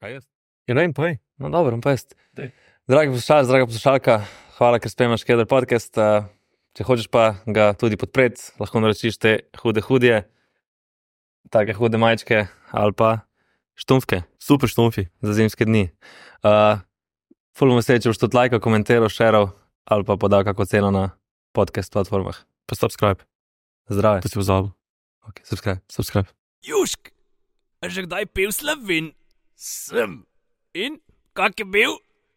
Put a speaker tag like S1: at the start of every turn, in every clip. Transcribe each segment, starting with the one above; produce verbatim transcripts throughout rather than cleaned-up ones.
S1: Kaj jaz?
S2: Ja, ne, povej.
S3: No, dobro, pa jaz.
S1: Dej.
S3: Dragi poslušalec, draga poslušalka, hvala, ker spremljaš Keder podcast. Uh, če hočeš pa ga tudi podpreti, lahko naročiš te hude hudje, take hude majčke ali pa štumfke
S2: Super štumfi.
S3: za zimske dni. Uh, ful bomo se, če boš tudi lajkal, komentiral, šeral ali pa podal kako ceno na podcast platformah.
S2: Pa subscribe.
S3: Zdrave.
S2: To si pozabil.
S3: Ok, subscribe.
S2: Subscribe.
S1: Južk, a že kdaj pil Slovin? Sem. In kak je bil?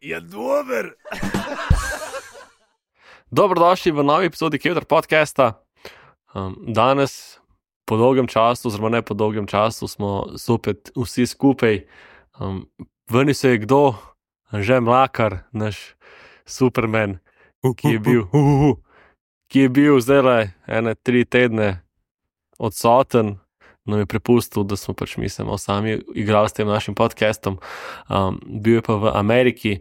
S1: Je dober.
S2: Dobrodošli v novi epizodi Keder podcasta. Um, danes, po dolgem času, oziroma ne po dolgem času, smo zopet vsi skupaj. Um, Vrni se je kdo? Anže Mlakar, naš Superman, ki je bil, uh, uh, uh, ki je bil zdaj ene tri tedne odsoten, nam je prepustil, da smo pač mi se malo sami igrali s tem našim podcastom. Um, bil je pa v Ameriki,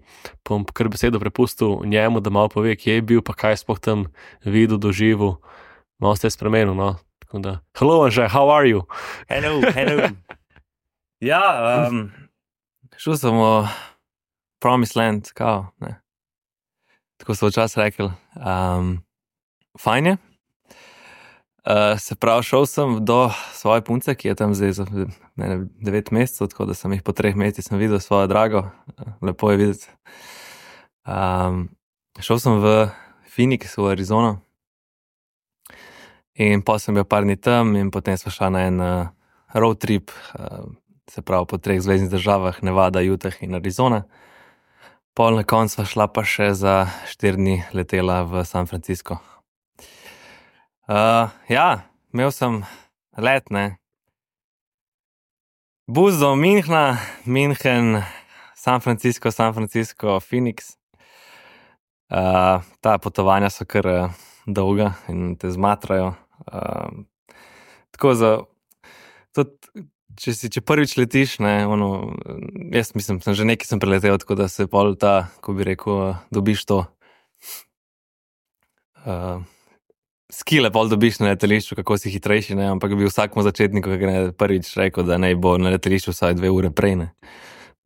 S2: pa bom kar besedo prepustil njemu, da malo pove, kje je bil, pa kaj sploh tam videl, doživel. Malo se je spremenil, no. Tako da, hello Anže, how are you?
S3: Hello, hello. ja, um, šel sem v Promised Land, kao, ne. Tako so včasih rekli. Um, fajn je. Uh, se pravi, šel sem do svoje punce, ki je tam zdaj za ne, devet mesecev, tako da sem jih po treh mesecih sem videl svojo drago. Lepo je videti. Um, šel sem v Phoenix, v Arizono. In pa sem bil par dni tam in potem smo šla na en uh, road trip, uh, se pravi po treh zvezdnih državah, Nevada, Utah in Arizona. Pol na koncu sva šla pa še za štiri dni letela v San Francisco. Uh, ja, imel sem let, ne. Bus do Münchna, München, San Francisco, San Francisco, Phoenix. Uh, ta potovanja so kar uh, dolga in te zmatrajo. Uh, tako za, tudi, če si, če prvič letiš, ne, ono, jaz mislim, sem že nekaj sem preletel, tako da se pol ta, ko bi rekel, dobiš to uh, skile pol dobiš na letališču, kako si hitrejši, ne, ampak bi vsakmu začetniku, ki je prvič rekel, da ne bo na letališču vsaj dve ure prej, ne.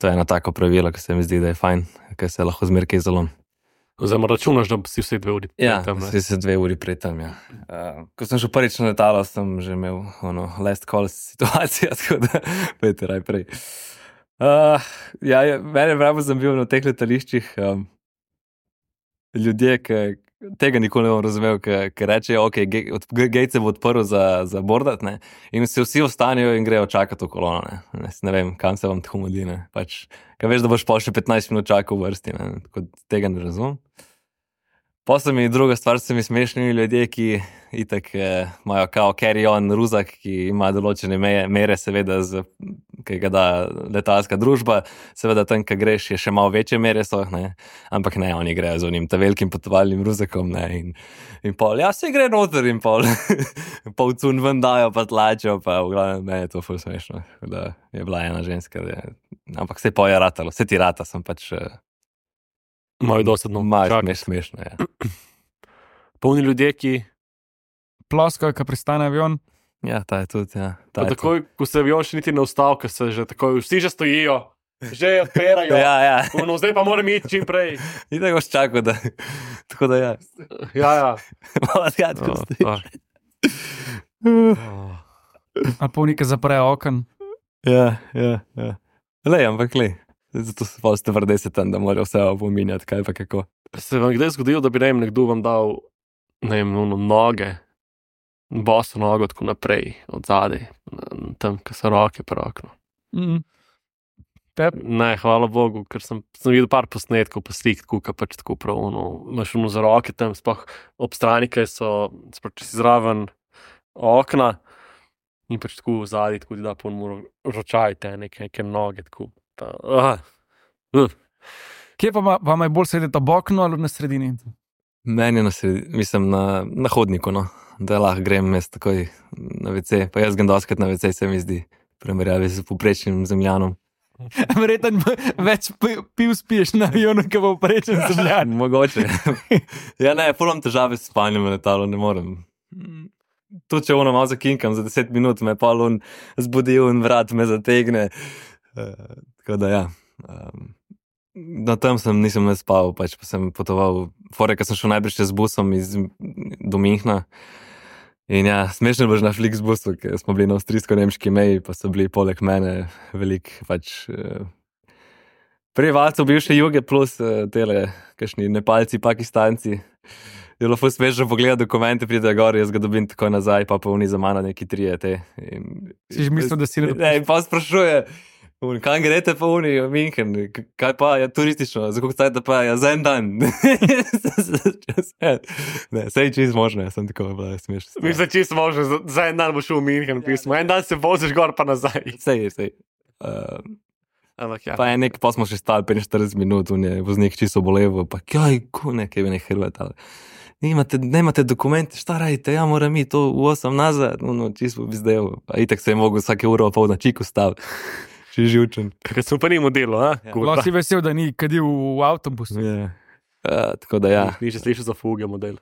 S3: To je eno tako pravilo, ki se mi zdi, da je fajn, ker se lahko zmer kaj zalom.
S2: Oziroma računaš, da si vse dve uri prej
S3: Ja,
S2: tam, ne.
S3: si se dve uri prej tam, ja. Uh, ko sem šel prvič na letalo, sem že imel ono last call situacijo, tako da pojte raj prej. Uh, ja, ja, mene vrabo sem bil na teh letališčih um, ljudje, ki tega nikoli ne bom razumel, ki rečejo, ok, gate se bo odprl za, za bordat, ne, in se vsi ostanejo in grejo čakati v kolono, ne. Ne, ne vem, kam se vam tako modi, ne. Pač, kaj veš, da boš pol še petnajst minut čakal v vrsti, ne, tako tega ne razumem. Potem mi druga stvar, se mi smešni ljudje, ki itak eh, imajo kao carry-on ruzak, ki ima določene meje, mere, seveda, z, ki ga da letalska družba, seveda tam, ki greš, je še malo večje mere so, ne, ampak ne, oni grejo z onim ta velikim potovalnim ruzakom, ne, in, in pol, ja, se gre noter in pol, pol cun ven dajo, pa tlačijo, pa v glavnem, ne, je to ful smešno, da je bila ena ženska, da je, ampak se pa je ratalo, se ti rata, sem pač
S2: Malo dosadno.
S3: malo smeš, smešno, ja.
S2: Polni ljudje, ki
S4: Ploska, ko pristane avion.
S3: Ja, ta je tudi, ja. Ta
S2: pa
S3: je
S2: takoj, ko se avion še niti ne ustav, ker se že takoj, vsi že stojijo, že odpirajo.
S3: Ja, ja.
S2: No, zdaj pa moram iti čim prej.
S3: In tako boš čakal, da, tako da ja.
S2: Ja, ja.
S3: Malo zgadko
S2: Oh,
S3: stojiš.
S2: fuck. Oh.
S4: Ali polnike zaprejo okn.
S3: Ja, ja, ja. Lej, ampak lej. Zato se pa ste vrdeset tam, da morajo vse opominjati, kaj pa kako.
S2: Se vam kdaj zgodilo, da bi ne vem, nekdo vam dal, ne vem, ono, noge, boso nogo tako naprej, od zadaj, tam, ko so roke pri oknu.
S4: Mm.
S2: Ne, hvala Bogu, ker sem, sem videl par posnetkov, pa slik, tako, ka pač tako prav, ono, imaš ono za roke tam, sploh ob strani, kaj so, sploh če si zraven okna, in pač tako zadaj, tako ti da pol moro ročaj te, neke, neke noge, tako. Pa, uh, uh.
S4: Kje pa ma- vam je bolj sedeti ob oknu ali na sredini?
S3: Meni je na sredi, mislim, na, na hodniku, no. Da lahko grem jaz takoj na ve ce, pa jaz grem doskrat na ve ce, se mi zdi, primerjavi s povprečnim zemljanom.
S4: Verjetno več pi- piv spiješ na avionu, kot bo prečen zemljan.
S3: Mogoče. Ja, ne, ful imam težave s spanjem v letalu, ne morem. Tudi če ono malo zakinkam za deset minut, me pa on zbudi in vrat me zategne. Uh, tako da ja. Um, na tem sem nisem ne spal, pač pa sem potoval. Fore, ko sem šel najprej še z busom iz, do Minhna. In ja, smešno je bilo na Flixbusu, ker smo bili na avstrijsko-nemški meji, pa so bili poleg mene velik pač uh, prebivalcev bivše Juge plus uh, tele, kakšni Nepalci, Pakistanci. Je bilo ful smešno pogledati dokumente, pride gor, jaz ga dobim tako nazaj, pa pa oni za mano neki trije te. In,
S4: Si že mislil, da si ne
S3: ne, in pa sprašuje, kam greste pa oni v Minhen, kaj pa je turistično, za koliko stajate pa je, za en dan. Ne, sej čist možno, jaz sem tako bila smešno.
S2: Mislim, čisto možno, za, za en dan boš v Minhen pismo, en dan se voziš gor pa nazaj.
S3: Sej, sej. Uh,
S2: Ampak ja.
S3: pa je nek, pa smo še stali petinštirideset minut, on je voznik čisto bolevo, pa kaj, ko nekaj bi ne Hrvat, ali Nemate, nemate dokumente, šta radite, ja moram mi to v osam nazad, no, no čisto bi zdaj, a itak se je mogel vsake uro pol na čiku staviti, še živčen.
S2: Ker smo pa nimo delo, a?
S3: Ja.
S4: Lahko si vesel, da ni kadil v avtobusu.
S3: Yeah. Uh, tako da ja.
S2: Ni še slišal za fuge model.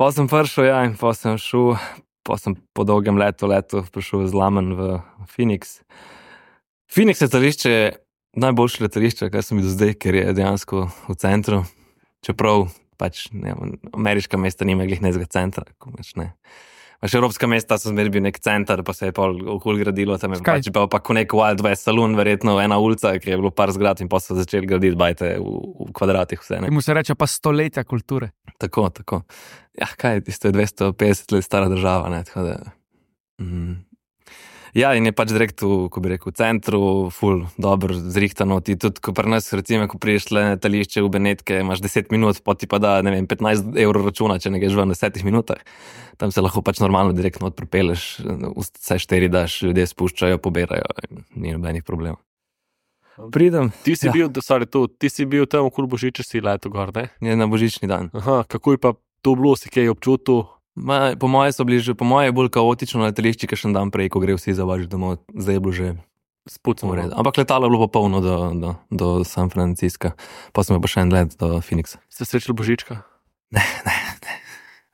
S3: Pa sem prišel, ja, in pa sem šel, pa sem po dolgem letu, letu prišel z Lamen v Phoenix. Phoenix letališče je najboljše letališče, kar sem videl zdaj, ker je dejansko v centru, čeprav pač ne, ameriška mesta nima glih nezga centra, ko pač ne. Pač evropska mesta so zmeraj bil nek center, pa se je pol okoli gradilo, tam je
S4: Skaj?
S3: pač bil pa ko nek Wild West saloon, verjetno ena ulica, ki je bilo par zgrad in pa so začeli graditi bajte v, v kvadratih vse, ne.
S4: Temu se reče pa stoletja kulture.
S3: Tako, tako. Ja, kaj, tisto je dvesto petdeset let stara država, ne, tako da. Mm. Ja, in je pač direkt v, ko bi rekel, v centru, ful, dobro, zrihtano, ti tudi, ko pri nas, recimo, ko priješ le na letališče v Benetke, imaš deset minut, pa ti pa da, ne vem, petnajst evrov računa, če ne greš ven v desetih minutah. Tam se lahko pač normalno direktno odpripeleš, vse štiri daš, ljudje spuščajo, poberajo, ni nobenih problemov. Pridem.
S2: Ti si
S3: Ja.
S2: bil, sorry, tu, ti si bil tam okoli Božiča si leto gor, ne?
S3: Je na božični dan.
S2: Aha, kako je pa to bilo, si kaj občutil?
S3: Ma, po moje so bili že, po moje je bolj kaotično na letališči, kakšen dan prej, ko gre vsi za vaš domov, zdaj je bilo že
S2: Spucno
S3: v redu. Ampak letalo je bilo pa polno do, do, do San Francisca, pa smo pa še en let do Phoenixa.
S2: Ste srečali Božička?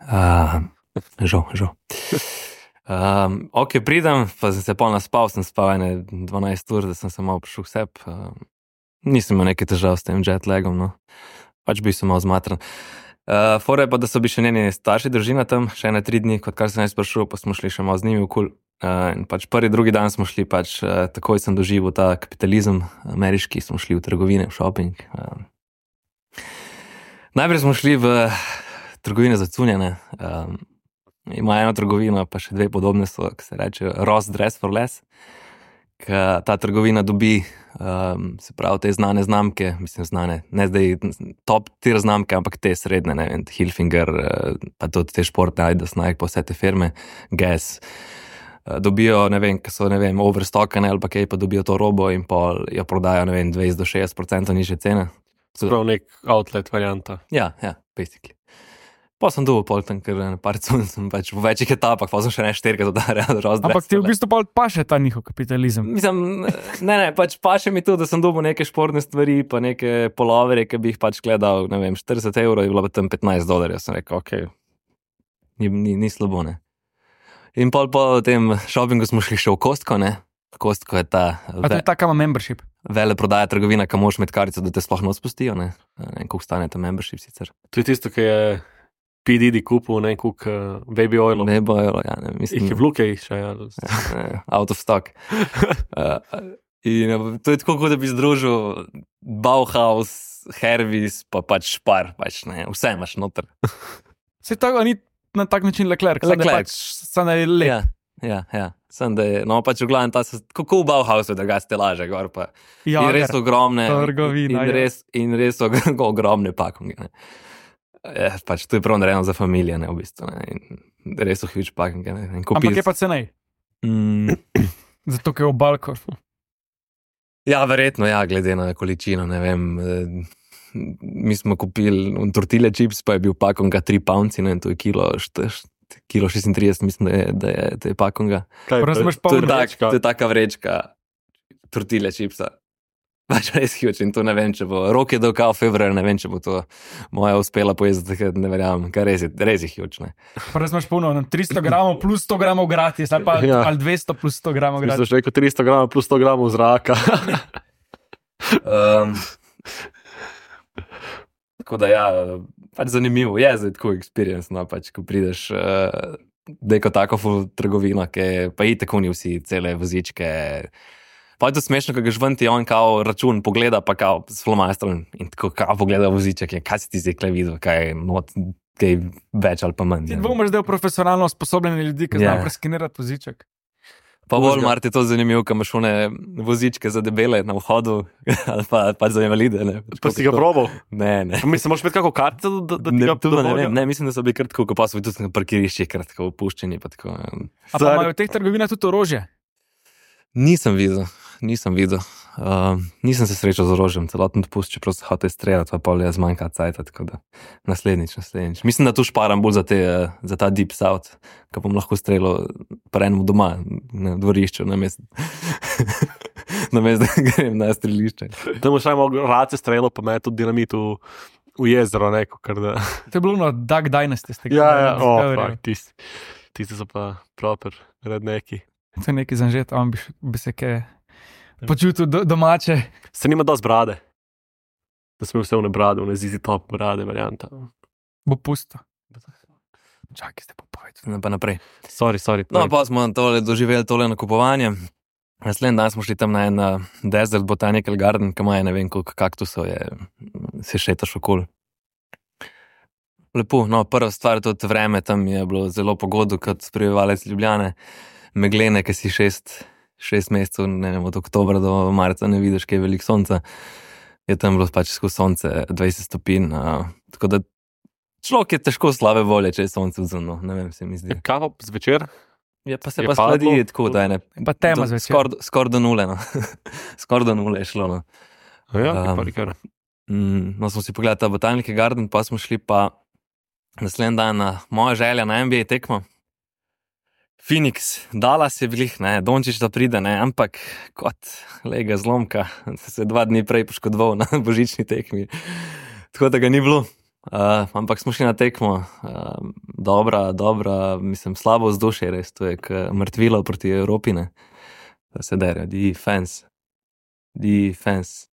S3: Uh, žal, žal. Um, ok, pridem, pa sem se pol naspal, sem spal ene dvanajst ur, da sem se malo prišel k sebi. Um, nisem imel nekaj težav s tem jetlagom, no. Pač bil sem malo zmatran. Uh, Fora je pa, da so bili še njeni starši družina tam, še ene tri dni, kot kar sem jaz prišel, pa smo šli še malo z njimi okoli. Uh, in pač prvi, drugi dan smo šli, pač uh, takoj sem doživel ta kapitalizem ameriški, smo šli v trgovine, v shopping. Uh, najprej smo šli v trgovine za cunjene. Um, ima eno trgovino, pa še dve podobne so, ki se reče Ross Dress for Less. Ka ta trgovina dobi, um, se pravi, te znane znamke, mislim znane, ne zdaj top tier znamke, ampak te srednje, ne vem, Hilfiger, uh, pa tudi te športne, Adidas, Nike, pa vse te firme, Guess. Uh, dobijo, ne vem, ki so, ne vem, overstockane ali pa kaj, pa dobijo to robo in pa jo prodajo, ne vem, dvajset do šestdeset procentov nižje cene.
S2: Sprav nek outlet varianta.
S3: Ja, ja, basically. Pa sem dobil pol tam, ker na par cun sem pač v večjih etapah, pa sem še ne štirka dodarjal.
S4: Ampak ti v bistvu pa paše ta njihov kapitalizem.
S3: Mislim, ne, ne, pač paše mi tudi, da sem dobil neke športne stvari, pa neke polovere, ki bi jih pač gledal, ne vem, štirideset evrov je bilo pa tam petnajst dolarjev. Sem rekel, ok, ni, ni, ni slabo, ne. In pol po tem shoppingu smo šli še v Costco, ne. Costco je ta
S4: A to je taka ima membership.
S3: vele prodaja trgovina, kam moraš imeti kartico, da te sploh ne spustijo, ne. Ne vem, koliko stane ta membership sicer.
S2: To je tisto, ki je P. Diddy kupil, ne, koliko uh, baby oilov.
S3: Ne bojo, ja, ne, mislim.
S2: Jih je vluke še, ja.
S3: Ne, out of stock. uh, in uh, to je tako, kot da bi združil Bauhaus, Hervis, pa pač Špar, pač ne, vse imaš noter.
S4: Se tako ni na tak način Leclerc, samo da
S3: Leclerc.
S4: pač samo da je lep.
S3: Ja, ja, ja. Sem da je, no pač v glavnem ta, se- kako v Bauhausu, da ga ste laže gor pa.
S4: Ja,
S3: in res ogromne,
S4: trgovina,
S3: in,
S4: ja.
S3: res, in res og- ogromne pakunge, ne. Ja, pač to je prav narejeno za familije, ne, v bistvu, ne, in res so huge pakunge, ne, in
S4: Ampak
S3: kupil
S4: je pa cenej.
S3: mm,
S4: Zato, ker je v Balkor.
S3: ja, verjetno, ja, glede na količino, ne vem, eh, mi smo kupili tortille chips, pa je bil pakonga tri pounci, ne, to je kilo, št, št, kilo šestintrideset, mislim, da je, da je, da je pakonga.
S2: Kaj,
S4: Prvo
S2: to-
S4: imaš
S2: to je
S3: To je,
S4: polno
S3: tak, to je taka vrečka tortille chipsa. pač res huge in to ne vem, če bo. Rok je dokal februar, ne vem, če bo to moja uspela pojezditi, ker ne verjamem, ker res je, res je huge, ne.
S4: Pa res imaš puno, tristo gramov plus sto gramov gratis, ali pa
S2: Ja.
S4: ali dvesto plus sto gramov
S2: Mislim,
S4: gratis.
S2: da je rekel tristo gramov plus sto gramov zraka.
S3: Um, tako da ja, pač zanimivo je zdaj tako experience, no, pač, ko prideš uh, neko tako ful trgovino, ki pa i tako ni vsi cele vozičke. Pa je to smešno, ko greš ven ti on kao račun pogleda, pa kao s flomastrom in tako kao pogleda voziček, je, kaj si ti zdaj kle videl, kaj je not, kaj več ali pa manj.
S4: Ti
S3: ne.
S4: dvomiš, da je profesionalno usposobljeni ljudi, ki
S3: Ja.
S4: znajo preskenirati voziček.
S3: Pa bolj mar ti to zanimivo, ko imaš one vozičke za debele na vhodu ali pa, pač za invalide. Ne,
S2: Pa si ga probal?
S3: Ne, ne.
S2: Mislim, moraš imeti kako kartico, da, da ti
S3: Ne,
S2: ga
S3: to pa ne
S2: dovolijo?
S3: vem, ne, mislim, da so bili kar tako, ko pa so bili tudi na parkiriščih kar tako opuščeni. Pa tako, um.
S4: A pa imajo v teh trgovinah tudi orožje.
S3: Nisem videl, nisem videl. Uh, nisem se srečal z orožjem, celoten dopust, čeprav se hotel streljati, pa pol je zmanjka cajta, tako da naslednjič, naslednjič. Mislim, da tu šparam bolj za, te, uh, za ta deep south, ko bom lahko streljal pa enemu doma, na dvorišču, namesto namest, da grem na strelišče.
S2: Da boš samo race strelo, pa me tudi dinamit v, v jezero, neko, kar da.
S4: To je bilo na Duck Dynasty. ste
S2: Ja,
S4: gledali
S2: ja,
S4: na
S2: o,
S4: Discoveryju.
S2: fuck, tisti, tisti so pa proper redneki.
S4: To je neki zanžet, on bi, š- bi se kaj počutil do, domače.
S2: Se nima dosti brade. Da smo vse v ne brade, v ne zizi top brade, varianta.
S4: Bo pusto. Čakaj, ste pa povedali.
S3: No, pa naprej.
S2: Sorry, sorry.
S3: No, pa smo tole doživeli tole nakupovanje. Naslednji dan smo šli tam na en uh, Desert Botanical Garden, ki ima je ne vem koliko kaktusov, je, se šetaš okoli. Lepo, no, prva stvar, tudi vreme tam je bilo zelo pogodo, kot prebivalec Ljubljane, meglene, ki si šest, šest mesecev, ne vem, od oktobra do marca ne vidiš, kaj je veliko sonca, je tam bilo pač skozi sonce dvajset stopinj, uh, tako da človek je težko slabe volje, če je sonce vzemno, ne vem, se mi zdi.
S2: Kaj pa zvečer?
S3: Je pa se
S2: Je
S3: pa
S2: padlo?
S3: skladi tako, da je ne.
S4: Pa tema zvečer.
S3: Skoraj skor do nule, no. Skoraj do nule je šlo, no.
S2: Ja,
S3: Um,
S2: pa nikar.
S3: Mm, no, smo si pogledali ta Botanical Garden, pa smo šli pa naslednji dan na moja želja na N B A tekmo. Phoenix, Dallas je bilih, ne, Dončić da pride, ne, ampak kot lega zlomka, se je dva dni prej poškodoval na božični tekmi, tako da ga ni bilo. Uh, ampak smo šli na tekmo, uh, dobra, dobra, mislim, slabo vzdušje res, to je k mrtvilo proti Evropi, ne, da se dere, defense, defense,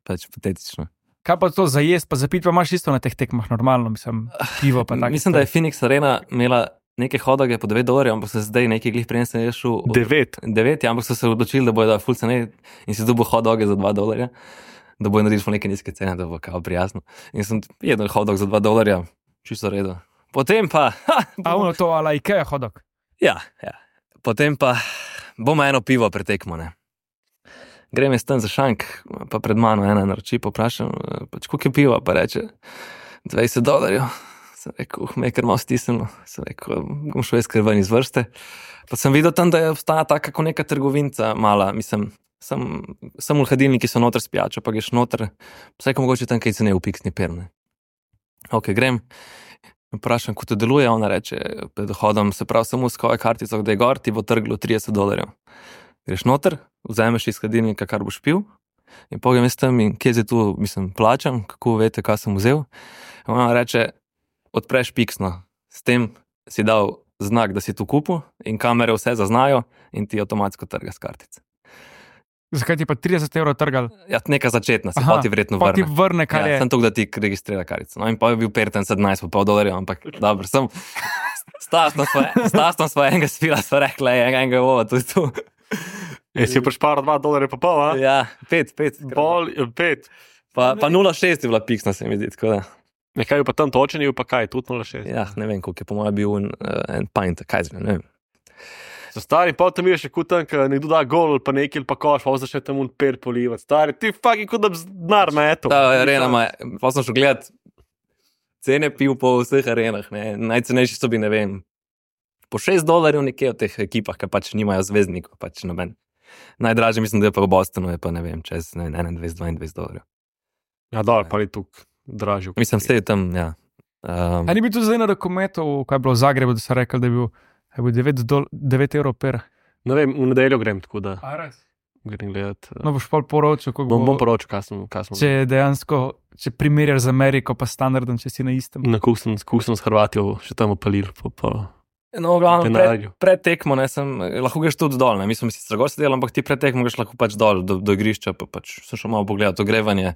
S3: pač patetično.
S4: Kaj pa to za jesti, pa za pit, pa imaš isto na teh tekmah, normalno, mislim, pivo pa tako.
S3: Mislim, da je Phoenix Arena imela neke hodoge po devet dolarjev, ampak so se zdaj nekaj glih prejensem je šel.
S2: Devet.
S3: devet, ja, ampak so se odločili, da bojo da full cene in si dobil hodoge za dva dolarja, da bojo naredili neke nizke cene, da bo kao prijazno. In sem jedel hodog za dva dolarja, čisto redo. Potem pa, ha,
S4: A ono to, ala Ikea hodok.
S3: ja, ja. Potem pa bomo eno pivo pretekmo, ne. Grem jaz tam za šank, pa pred mano ena naroči, poprašam, pač koliko je piva, pa reče dvajset dolarjev. Sem rekel, uh, me je kar malo stisnilo, sem rekel, bom šel jaz kar ven iz vrste. Pa sem videl tam, da je obstaja taka kot neka trgovinca mala, mislim, sem, sem v hladilniki so noter s pijačo, pa greš noter, vsaj ko mogoče tam kaj cene v piksni perne. Ok, grem, vprašam, kako to deluje, ona reče, pred hodom se prav samo s koje kartico, da je gor, ti bo trglo trideset dolarjev. Greš noter, vzameš iz hladilnika, kar boš pil, in pogledam jaz tam in kje zdaj tu, mislim, plačam, kako veste, kaj sem vzel. In ona reče, odpreš piksno, s tem si dal znak, da si tu kupil in kamere vse zaznajo in ti avtomatsko trga s kartice.
S4: Zakaj ti pa trideset evrov trgal?
S3: Ja, neka začetna, se
S4: Aha,
S3: pa ti verjetno
S4: Pa ti
S3: vrne.
S4: vrne, kar
S3: Ja,
S4: je.
S3: sem to, da ti registrira karico. No in pa je bil perten sedemnajst pa pol dolarjev, ampak dobro, sem stasno sva enega spila, sva rekla, je enega ovo, to je tu.
S2: E, si prešparal dva dolarja pa pol, a?
S3: Ja, pet, pet.
S2: Pol, pet.
S3: Pa, pa nula šest je bila piksna, se mi zdi, tako da.
S2: Nekaj je pa tam točen, je pa kaj, tudi nula šest.
S3: Ja, ne vem, koliko je po mojem bil en, uh, en pint, kaj zvem, ne vem.
S2: So stari, pa tam je še kutan, ker nekdo da gol, pa nekaj pa koš, pa začne tam un per polivati. Stari, ti fucking kot da bi denar metal.
S3: Ta arena ima, pa sem šel gledat cene piv po vseh arenah, ne. Najcenejši so bi, ne vem, po šest dolarjev nekje v teh ekipah, ki pač nimajo zvezdnikov, pač noben. Najdražje mislim, da je pa v Bostonu, je pa ne vem, čez ne vem, enaindvajset dvaindvajset dolarjev.
S2: Ja, dobro, pa je tukaj dražje.
S3: Mislim, vse je tam, ja. Um,
S4: A ni bil tu zdaj na dokumentu, kaj je bilo v Zagrebu, da so rekli, da je bil, je bil devet, dol, devet evrov per.
S2: Ne vem, v nedeljo grem, tako da.
S4: A res?
S2: grem gledat.
S4: No, boš pa poročil, kako
S2: Bom,
S4: bo,
S2: bom poročil, kaj sem, kaj sem.
S4: če dejansko, če primerjaš z Ameriko, pa standardom, če si na istem.
S2: Na kuk sem, kuk sem s Hrvatijo še tam opalil. Po, po.
S3: No, glavno, pred,
S2: Penalju.
S3: pred tekmo, ne, sem, lahko greš tudi dol, ne, mi smo si strago sedeli, ampak ti pred tekmo greš lahko pač dol do, do igrišča, pa pač sem šel malo pogledat ogrevanje,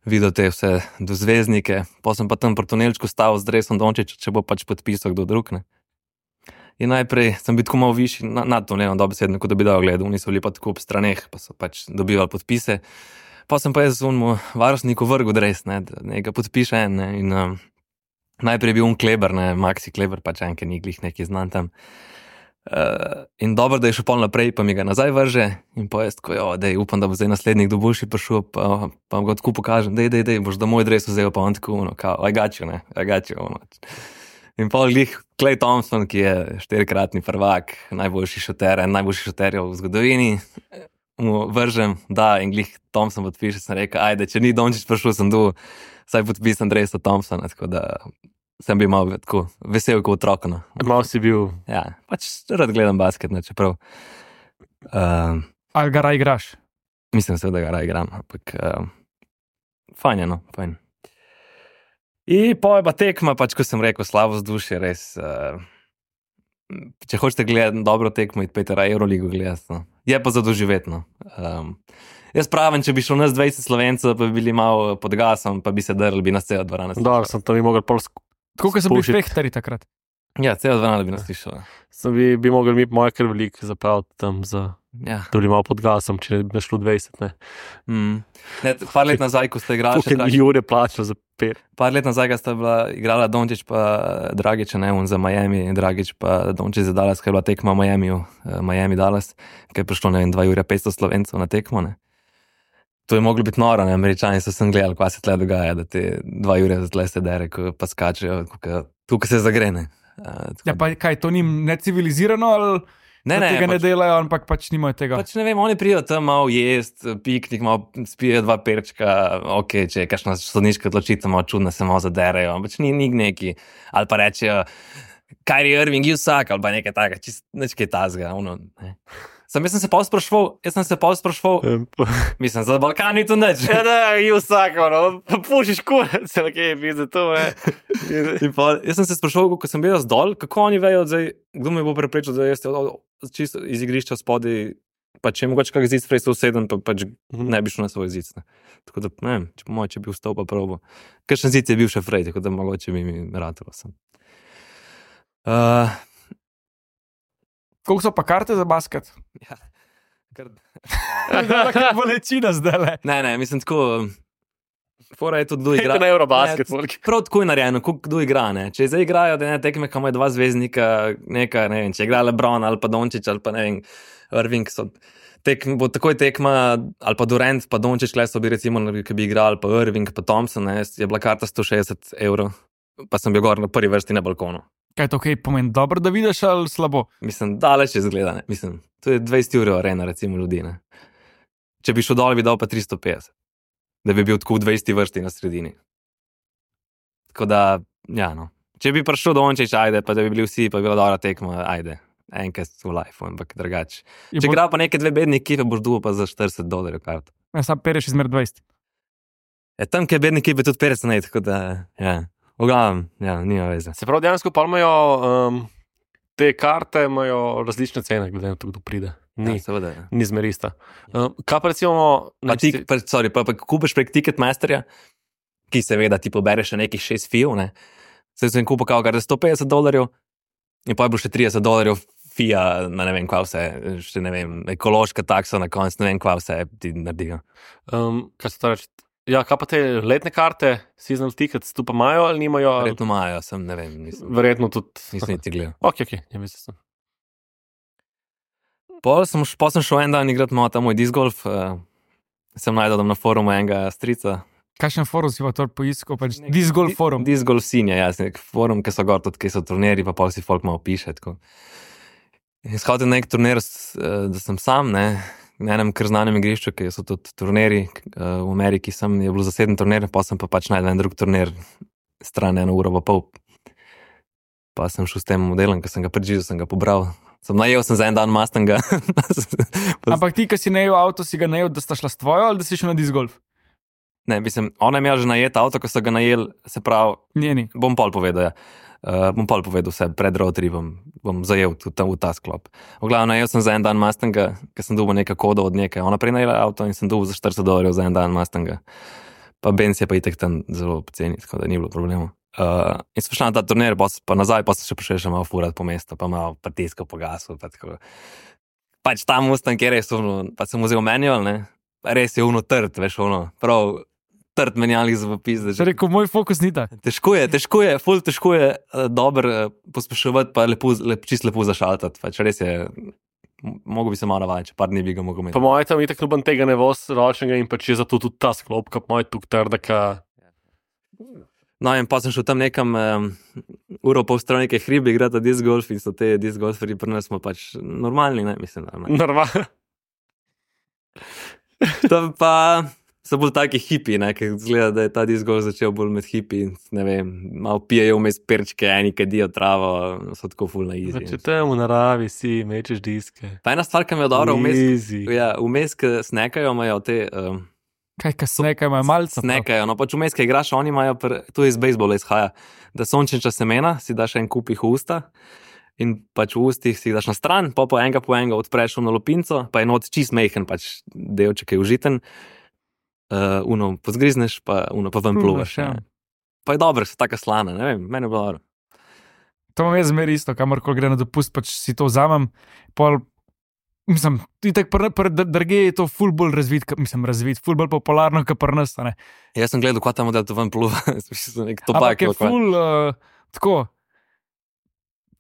S3: videl te vse do zvezdnike, pa sem pa tam pri tunelčku stal z dresom Dončića, če bo pač podpisal kdo drug, ne. In najprej sem bil tako malo višji na, nad tunelom, dobesedno, kot da bi dal gledal, oni so bili pa tako ob straneh, pa so pač dobivali podpise, pa sem pa jaz z unmu varnostniku vrgel dres, ne, da nekaj podpiše en, ne, in um, najprej je bil un Kleber, ne, Maxi Kleber, pač enke ni glih neki znan tam. Uh, in dobro, da je šel pol naprej, pa mi ga nazaj vrže in pa jaz tako, jo, dej, upam, da bo zdaj naslednjik do boljši prišel, pa, pa ga tako pokažem, dej, dej, dej, boš da moj dres vzel, pa on tako, ono, kao, I got you, ne, I got you, ono. In pol glih Klay Thompson, ki je štirikratni prvak, najboljši šuter, en najboljši šuterjev v zgodovini, mu vržem, da, in glih Thompson podpiše, sem rekel, ajde, če ni Dončić prišel, sem tu, saj podpisam dresa Thompsona, tako da sem bil malo tako vesel kot otrok. No.
S2: Mal si bil.
S3: Ja, pač rad gledam basket, ne, čeprav. Um,
S4: Ali ga raj igraš?
S3: mislim se, da ga raj igram, ampak um, fajn je, no, fajn. In pa je pa tekma, pač ko sem rekel, slabo vzdušje, res. Uh, če hočete gledati dobro tekmo, idite raje Euroligo gledati. No. Je pa za doživetno. Um, Jaz pravim, če bi šel nas dvajset Slovencev, pa bi bili malo pod gasom, pa bi se drli, bi nas cela dvorana slišala.
S2: Dobro, sem tam bi mogel pol sk-
S4: Koliko so bili
S2: spuščiti.
S4: fehtari takrat?
S3: Ja, cela dvorana bi nas slišala.
S2: Sem bi, bi mogel mi moje kar veliko zapraviti tam za,
S3: Ja.
S2: da bi malo pod gasom, če ne bi šlo dvajset, ne.
S3: Mm. Ne, par let nazaj, ko ste igrali, še
S2: Tukaj
S3: Dragić,
S2: Jure plačal za pet.
S3: par let nazaj, ko sta bila igrala Dončić pa Dragić, ne, on za Miami, Dragić pa Dončić za Dallas, ker je bila tekma v Miamiju, uh, Miami Dallas, ker je prišlo, ne vem, dva ure petsto Slovencev na tekmo, ne. To je moglo biti noro, ne, Američani so sem gledali, kaj se tle dogaja, da te dva ure tle se dere, ko pa skačejo, tukaj se zagrene. Uh,
S4: Ja, pa kaj, to ni necivilizirano ali
S3: ne,
S4: da
S3: ne,
S4: tega ne
S3: pač,
S4: delajo, ampak pač nimajo tega?
S3: pač ne vem, oni prijo tam malo jest, piknik, malo spijo dva perčka, ok, če je kakšna sodniška odločitev, malo čudna, se malo zaderejo, pač ni, ni neki, ali pa rečejo, Kyrie Irving, you suck, ali pa nekaj takega, čist nič kaj tazga, ono, ne. Sem, jaz sem se pol sprašval, jaz sem se pol sprašval, mislim, za Balkan ni to nič.
S2: Ja, da, i vsako, no, pušiš kurec, nekaj je bil za to, ne.
S3: In pol, jaz sem se sprašval, ko sem bil jaz dol, kako oni vejo, zdaj, kdo me bo preprečil, da jaz čisto iz igrišča spodaj, pa če je mogoče kak zid sprej se usedem, pa pač ne bi šel na svoj zid. Ne. Tako da, ne vem, če po moje, če bi vstal pa probo. Kakšen zid je bil še frej, tako da mogoče bi mi ratalo sem. Uh,
S4: Koliko so pa karte za basket?
S3: ja, kar...
S4: Kakšna bolečina zdaj le.
S3: Ne, ne, mislim tako, fora je tudi kdo igra.
S2: Igra na Eurobasket.
S3: Ne, prav tako je narejeno, koliko kdo igra, ne. Če zdaj igrajo, da ne tekme, kam je dva zvezdnika, neka, ne vem, če igra LeBron ali pa Dončić ali pa ne vem, Irving, so tekm, bo takoj tekma, ali pa Durant, pa Dončić, kle so bi recimo, ki bi igrali, pa Irving, pa Thompson, ne, je bila karta sto šestdeset evrov, pa sem bil gor na prvi vrsti na balkonu.
S4: Kaj to kaj pomeni? Dobro, da vidiš ali slabo?
S3: Mislim, daleč je zgleda, ne, mislim, to je dvajset evrov arena, recimo, ljudi, ne. Če bi šel dol, bi dal pa tristo petdeset, da bi bil tako v dvajseti vrsti na sredini. Tako da, ja, no. Če bi prišel Dončić, ajde, pa da bi bili vsi, pa bi bila dobra tekma, ajde, enkrat v life, ampak drugače. Če igra pa neke dve bedne ekipe, boš dobil pa za štirideset dolarjev karto.
S4: Ja, sam pereš izmer dvajset.
S3: Ja, tam, kjer bedne ekipe, tudi petdeset, ne, tako da, ja, v glavnem, ja, nima veze.
S2: Se pravi, dejansko pa imajo um, te karte, imajo različne cene, glede na to, kdo pride. Ni,
S3: Ja, seveda, ja.
S2: ni zmerista. Um, kaj pa recimo...
S3: Pa, ti, pa, sorry, pa, pa kupiš prek Ticketmasterja, ki seveda ti pobere še nekih šest fijev, ne. Zdaj sem kupil kao kar sto petdeset dolarjev in pa je bilo še trideset dolarjev fija, na ne vem kva vse, še ne vem, ekološka taksa na konc, ne vem kva vse ti naredijo.
S2: Um, kaj se to reče? Ja, kaj pa te letne karte, seasonal tickets, tu pa imajo ali nimajo? ali-
S3: Verjetno imajo, sem, ne vem, nisem,
S2: Verjetno tudi.
S3: nisem niti gledal.
S2: Ok, ok, ja, mislim.
S3: Pol sem, pol sem šel en dan igrati malo ta moj disc golf, uh, sem najdel tam na forumu enega strica.
S4: Kakšen forum si pa to poiskal? Pač Disc Golf forum.
S3: Disc golf sinja, ja, nek forum, ki so gor tudi, ki so turniri, pa pol si folk malo piše, tako. In shodil nek turnir, s- eh, da sem sam, ne, na enem kar znanem igrišču, ki so tudi turniri, eh, v Ameriki sem, je bilo zaseden turnir, pa sem pa pač najdel en drug turnir, stran eno uro pa pol. Pa sem šel s tem modelom, ki sem ga predživel, sem ga pobral, Sem najel sem za en dan Mustanga.
S4: Ampak ti, ki si najel avto, si ga najel, da sta šla s tvojo ali da si šel na disc golf?
S3: Ne, mislim, ona je imela že najet avto, ko so ga najel, se pravi,
S4: Njeni.
S3: bom pol povedal, ja. Uh, bom pol povedal vse, pred road tripom bom zajel tudi tam v ta sklop. V glavnem, najel sem za en dan Mustanga, ker sem dobil nekaj kodo od nekaj. Ona prej najela avto in sem dobil za štirideset dolarjev za en dan Mustanga. Pa Benz je pa itek tam zelo poceni, tako da ni bilo problema. Uh, in sem šla na ta turnir, pa, pa nazaj, pa sem še prišel še malo furat po mestu, pa malo pritiskal po gasu, pa tako. Pač ta Mustang je res uno, pa sem vzel manual, ne, res je uno trd, veš, uno, prav trd menjalnik za popizde.
S4: Če rekel, moj fokus ni tak.
S3: Težko je, težko je, ful težko je uh, dobro uh, pospeševati, pa lepo, lep, čist lepo zašaltati, pač res je, mogo bi se malo navajati, če par dni bi ga mogel imeti.
S2: Po mojem tam itak noben tega ne voz ročnega in pač je zato tudi ta sklop, kot moj tuk trda, ka...
S3: No, in pa sem šel tam nekam um, uro pol stran neke hribe igrati disc golf in so te disc golferi pri nas smo pač normalni, ne, mislim, normalni.
S2: Normalno.
S3: To pa so bolj taki hipi, ne, ker zgleda, da je ta disc golf začel bolj med hipi, ne vem, malo pijejo vmes perčke, eni kadijo travo, so tako ful na easy.
S2: Če te v naravi si, mečeš diske.
S3: Pa ena stvar, ki me je dobro vmes,
S2: Easy.
S3: ja, vmes, ki snekajo, imajo te... Um,
S4: Kaj, kaj snekajo, imajo malce.
S3: Snekajo, no pač vmes, ki igraš, oni imajo, pr... tu iz bejzbola izhaja, da sončniča semena, si daš en kup jih v usta in pač v ustih si jih daš na stran, pa po enega po enega odpreš v lupinco, pa je not čist mejhen, pač delček je užiten, uh, uno pozgrizneš, pa uno pa ven pluvaš.
S4: Ja.
S3: Pa je dobro, so taka slana, ne vem, meni je bilo dobro.
S4: To imam jaz zmeri isto, kamorkoli gre na dopust, pač si to vzamem, pol, mislim, itak pri pr, drge je to ful bolj razvit, ka- mislim, razvit, ful bolj popularno, kot pri nas, a ne.
S3: Jaz sem gledal, kaj ta model to ven pluva, sem nek
S4: Ampak
S3: topak.
S4: je ful, uh, tako,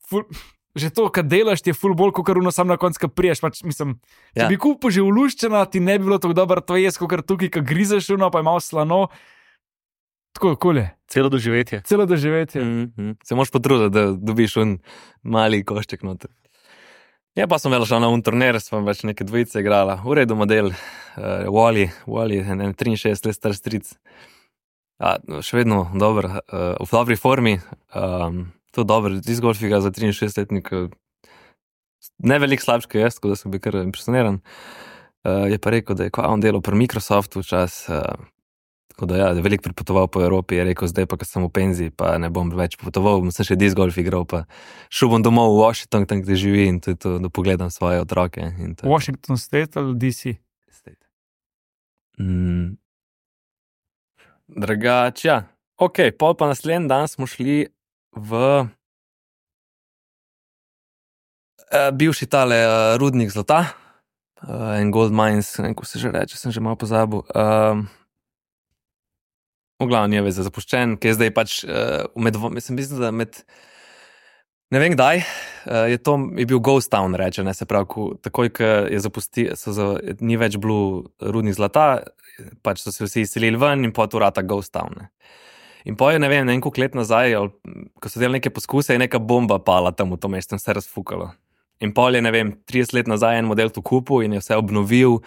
S4: ful, že to, kad delaš, ti je ful bolj, kot ono sam na koncu, kad priješ, pač, mislim, če
S3: Ja.
S4: bi kupil že uluščena, ti ne bi bilo tako dobro to jesti, kot tukaj, kad grizeš ono, pa je malo slano, tako, kolje,
S2: Celo doživetje.
S4: celo doživetje.
S3: Mm -hmm. Se moraš potruditi, da dobiš un mali košček noter. Ja, pa sem velo šel na un turnir, smo več neke dvojice igrala, v redu model, uh, Wally, Wally, en triinšestdeset let star stric. Ja, še vedno dober, uh, v dobri formi, um, to dobro, disc golf igra za triinšestdesetletnika, ne veliko slabš, kot jaz, tako da sem bil kar impresioniran. Uh, je pa rekel, da je kva on delal pri Microsoftu včas, uh, tako da ja, da je veliko pripotoval po Evropi, je rekel, zdaj pa, ko sem v penziji, pa ne bom več potoval, bom se še disc golf igral, pa šel bom domov v Washington, tam, kjer živi in to je to, da pogledam svoje otroke. In to je to.
S4: Washington State ali D C?
S3: Mm. Drugače, ja. Ok, pol pa naslednji dan smo šli v uh, bivši tale uh, rudnik zlata, uh, en gold mines, ne vem, ko se že reče, sem že malo pozabil. Um, v glavnem je veze zapuščen, ki je zdaj pač uh, med, mislim, mislim, da med, ne vem kdaj, uh, je to je bil ghost town, reče, ne, se pravi, ko, takoj, ko je zapusti, so za, ni več bilo rudnik zlata, pač so se vsi izselili ven in pot urata ghost town, ne. In po je, ne vem, nekaj let nazaj, ali, ko so delali neke poskuse, je neka bomba pala tam v to mesto in vse razfukalo. In pol je, ne vem, trideset let nazaj en model to kupil in je vse obnovil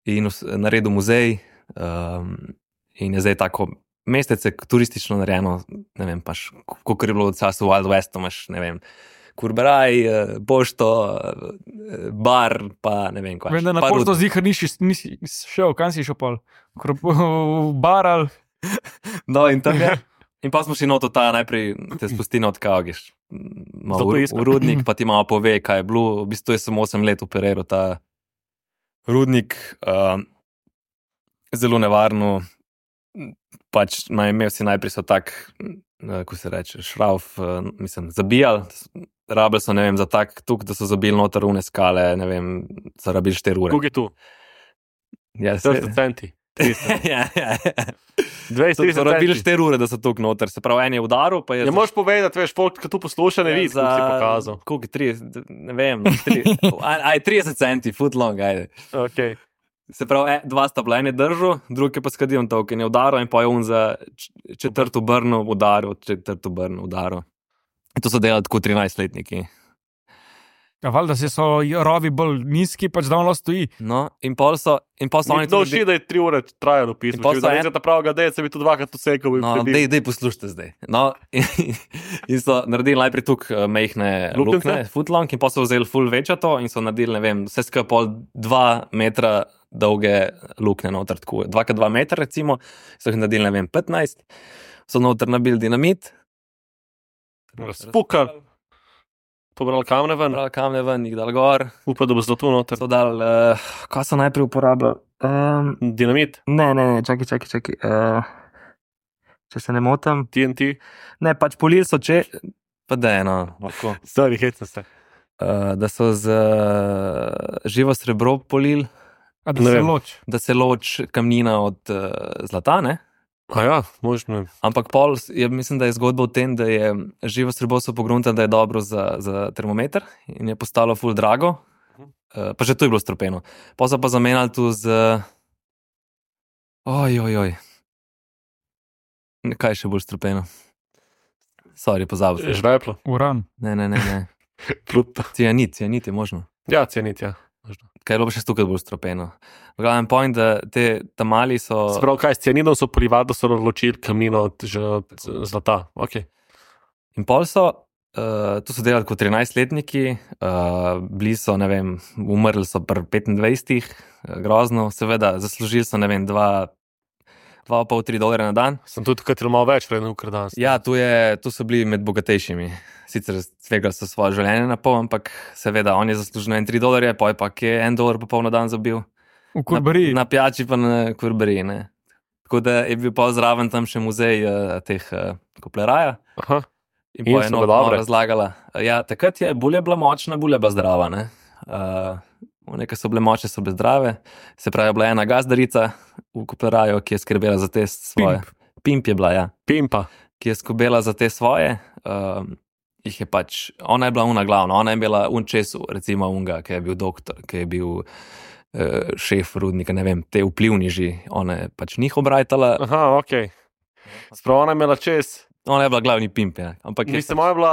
S3: in vse, naredil muzej. Um, in je zdaj tako mestece turistično narejeno, ne vem, paš, kot je bilo v času Wild Westu, imaš, ne vem, kurberaj, pošto, bar, pa ne vem, kaj.
S4: Vem, da na pošto zihar nisi, nisi šel, kam si šel pol? V bar ali...
S3: No, in tam je. In pa smo šli noto ta, najprej te spusti not kagiš. Malo v, v rudnik, pa ti malo pove, kaj je bilo. V bistvu je samo osem let operiral ta rudnik. Uh, zelo nevarno. Pač naj, imel si najprej so tak, uh, ko se reče, šrauf, uh, mislim, zabijali. Rabili so, ne vem, za tak tuk, da so zabili noter une skale, ne vem, so rabili štiri ure.
S2: Kuk je tu?
S3: Ja,
S2: štirideset centi.
S3: ja, ja, ja.
S2: dvajset,
S3: So,
S2: trideset
S3: so rabili
S2: centi.
S3: štiri ure, da so tuk noter. Se pravi, en je udaril, pa je...
S2: Ne moreš povedati, veš, folk, ki tu posluša, ne vidi,
S3: za...
S2: kako si pokazal.
S3: Koliko je trideset, ne vem, tri, aj, aj trideset centi, foot long, ajde.
S2: Okay.
S3: Se pravi, e, dva sta bila, en je držal, drugi je pa skadil to, ker je udaril in pa je on za četrto brno udaril, četrto brno udaril. In to so delali tako trinajstletniki.
S4: Ja, valjda se so rovi bolj nizki, pač da on lahko stoji.
S3: No, in pol so, in pol so oni
S2: No,
S3: tudi-
S2: še da je tri ure trajalo pismo.
S3: pol
S2: Če
S3: so
S2: bi
S3: en-
S2: zdaj ta pravega deca, bi to dvakrat usekal.
S3: No, dej, dej poslušajte zdaj. No, in, in so naredili najprej tukaj uh, mehne
S2: Luknjice?
S3: luknje, footlong, in pa so vzeli full večato in so naredili, ne vem, vse skupaj pol dva metra dolge luknje noter, tako dva krat dva metra recimo, so jih naredili, ne vem, petnajst, so noter nabili dinamit,
S2: Spukali, pobrali kamne ven,
S3: brali kamne ven, jih dal gor,
S2: upam, da bo zato noter.
S3: so dal, uh, kaj so najprej uporabljali? Um,
S2: Dinamit,
S3: ne, ne, ne, čakaj, čakaj, čakaj. Uh, če se ne motim.
S2: T N T,
S3: Ne, pač polili so če, pa da eno, lahko.
S2: stari hecno se.
S3: Uh, da so z uh, živo srebro polili,
S4: A da
S2: Ne
S4: se
S2: vem.
S4: loč.
S3: da se loč kamnina od uh, zlata, ne?
S2: A ja, možno.
S3: Ampak pol, je, mislim, da je zgodba v tem, da je živo srebro so pogruntali, da je dobro za, za termometer in je postalo ful drago. Uh, pa že to je bilo stropeno. Pa so pa zamenjali tu z. Oj, oj, oj. Kaj je še bolj stropeno? Sorry, pozabil sem.
S2: Žveplo,
S4: Uran.
S3: Ne, ne, ne. ne.
S2: pluta.
S3: Cianit, cianit je možno.
S2: Ja, cenit, ja. Možno.
S3: Kaj je bilo pa še tukaj bolj stropeno. V glavnem point, da te tamali so.
S2: Sprav, kaj s cianidom so polivali, da so ločili kamnino od, že od eh, zlata. Okay.
S3: In pol so, uh, to so delali kot trinajstletniki, uh, bili so, ne vem, umrli so pri petindvajsetih, uh, grozno, seveda, zaslužili so, ne vem, dva, dva pa pol, tri dolarje na dan.
S2: Sem tudi tukaj malo več, vreden ukr danes.
S3: Ja, tu, je, tu so bili med bogatejšimi. Sicer tvegali so svoje življenje na pol, ampak seveda, on je zaslužil en tri dolarje, poj pa je en dolar pa pol na dan zabil.
S4: V kurbariji.
S3: Na, na pijači pa na kurbariji, ne. Tako da je bil pa zraven tam še muzej uh, teh uh, kopleraja.
S2: Aha.
S3: In,
S2: In
S3: in pa je
S2: so
S3: eno
S2: ga dobre?
S3: razlagala. Ja, takrat je bolje bila močna, bolje bila zdrava. Ne? Uh, Neke so bile močne, so bile zdrave. Se pravi, bila je ena gazdarica v Kopleraju, ki je skrbela za te svoje. Pimp, Pimp je bila, ja.
S2: Pimpa.
S3: Ki je skrbela za te svoje. Um, jih je pač, ona je bila una glavna, ona je bila un česu, recimo unga, ki je bil doktor, ki je bil uh, šef rudnika, ne vem, te vplivniži, ona je pač njih obrajtala.
S2: Aha, ok. Sprav, ona je imela čez.
S3: Ona je bila glavni pimp, ja. Ampak je
S2: Mislim, ona je bila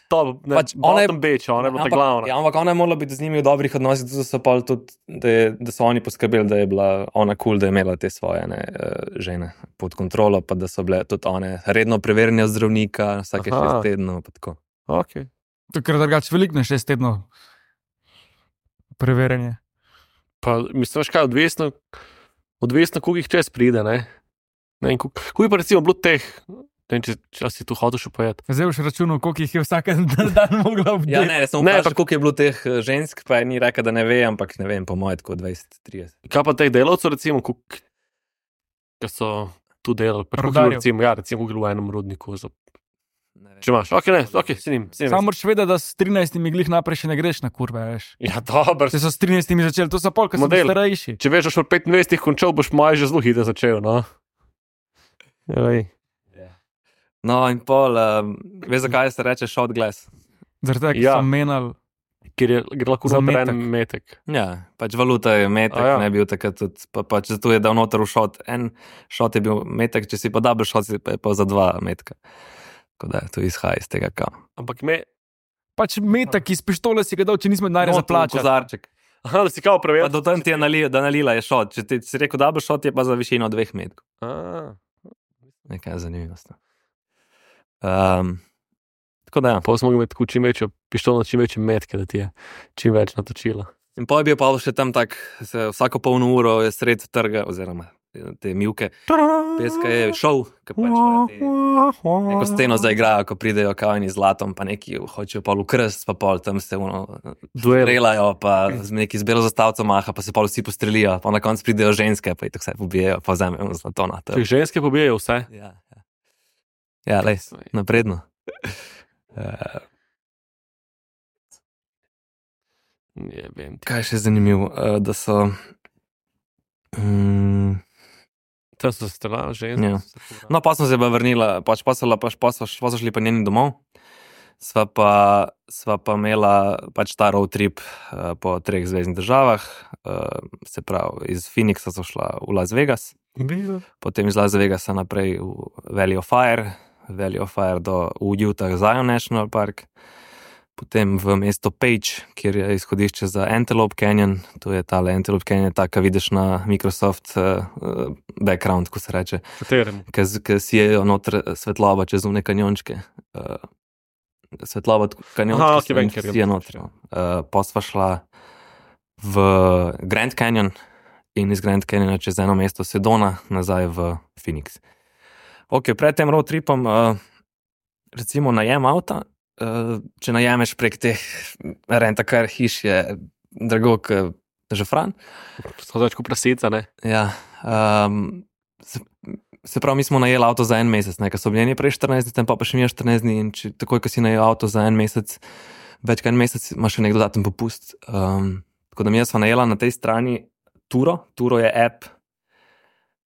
S2: top, ne,
S3: Pač
S2: pač
S3: ona
S2: ona
S3: je-
S2: je beča, ona je bila ta
S3: Ampak-
S2: glavna.
S3: Ja, ampak ona je morala biti z njimi v dobrih odnosih, zato so, pol tudi, da, je, da so oni poskrbeli, da je bila ona kul, cool, da je imela te svoje ne, eh, žene pod kontrolo, pa da so bile tudi one redno preverjene od zdravnika, vsake
S2: Aha.
S3: šest tednov. pa tako.
S2: Okay.
S4: Ker drugače veliko na šest tednov preverjanje.
S2: Pa, mislim, veš kaj, odvisno, odvisno, koliko jih čez pride, ne? Ne, in koliko, koliko je pa recimo bilo teh, ne vem, če, če si tu hotel še pojet.
S4: Zdaj boš računal, koliko jih je vsak dan, dan mogla obdelati.
S3: Ja, ne, sem
S2: Ne,
S3: vprašal,
S2: pa-
S3: koliko je bilo teh eh, žensk, pa je ni rekel, da ne ve, ampak ne vem, po mojem, tako dvajset trideset.
S2: Kaj pa teh delavcev, recimo, koliko, ki so tu delali, pa koliko je bilo,
S4: Rudarjev.
S2: recimo, ja, recimo, koliko je bilo v enem rudniku, za,
S3: Ne vem.
S2: če imaš, ok, ne, ok, se njim, se njim.
S4: Samo moraš vedeti, da s trinajstimi glih naprej še ne greš na kurve, veš.
S2: Ja, dobro,
S4: Če so s trinajstimi začeli, to so pol, ker so
S2: Model.
S4: starejši.
S2: če veš, da boš v petindvajsetih končal, boš maj že zelo hitro začel, no. Ej.
S3: No, in pol, um, veš, zakaj se reče shot glass?
S4: Zaradi tega, ker
S2: Ja.
S4: so menjali.
S2: Ker je gre lahko
S4: Za
S2: za
S4: metek.
S2: en metek.
S3: Ja, pač valuta je metek,
S2: A ja.
S3: ne bil takrat tudi, pa, pač zato je dal noter v šot. En šot je bil metek, če si pa double šot, si pa je pa za dva metka. Tako da to izhaja iz tega, kam.
S2: Ampak me,
S4: Pač metak iz pištole si ga dal, če nismo denarja za plačati.
S3: Kozarček.
S2: aha, da si kao
S3: Pa
S2: preveril.
S3: do tam ti je nalila, da nalila je šot. Če ti si rekel double šot, je pa za višino dveh metkov.
S2: A,
S3: Nekaj zanimivosti. Um, tako da ja.
S2: pa smo mogli imeti tako čim večjo pištolo, čim večje metke, da ti je čim več natočila.
S3: In pa je bil pa še tam tak, se vsako polno uro je sred trga, oziroma te mivke, peska je šov, ki pač imajo te- neko steno zaigrajo, ko pridejo kavni z zlatom, pa neki hočejo pol v krst, pa pol tam se uno,
S2: Duel.
S3: strelajo, pa z neki z belo zastavco maha, pa se pol vsi postrelijo, pa na koncu pridejo ženske, pa jih tako vse pobijejo, pa vzamejo zlato na to.
S2: Če ženske pobijajo vse.
S3: Ja, ja. Ja, lej, napredno. Uh,
S2: Ne vem.
S3: kaj je še zanimivo, uh, da so. Um,
S2: Tam so se strelali ženske.
S3: Ja. No, pa smo se pa vrnila, pač pa so, pa, pa so, pa so šli pa njeni domov. Sva pa, sva pa imela pač ta road trip uh, po treh zvezdnih državah, uh, se pravi, iz Phoenixa so šla v Las Vegas, potem iz Las Vegasa naprej v Valley of Fire, Valley of Fire do v Utah Zion National Park, potem v mesto Page, kjer je izhodišče za Antelope Canyon, to je tale Antelope Canyon, ta, ki vidiš na Microsoft uh, background, ko se reče.
S2: Katerem?
S3: Ki sijejo noter svetloba čez une kanjončke. Uh, svetloba kanjončke
S2: Aha, okay, vem, kjer je.
S3: Sije noter. Uh, pa sva šla v Grand Canyon in iz Grand Canyona čez eno mesto Sedona nazaj v Phoenix. Ok, pred tem road tripom uh, recimo najem avta, uh, če najemeš prek teh rent-a-car hiš, je drago kot žafran.
S2: To je več kot prasica, ne?
S3: Ja, um, se, se pravi, mi smo najeli avto za en mesec, ne, ker so bili prej štirinajst dni, pa pa še mi je štirinajst dni in če, takoj, ko si najel avto za en mesec, več kot en mesec, imaš še nek dodaten popust. Um, tako da mi jaz sva najela na tej strani Turo. Turo je app,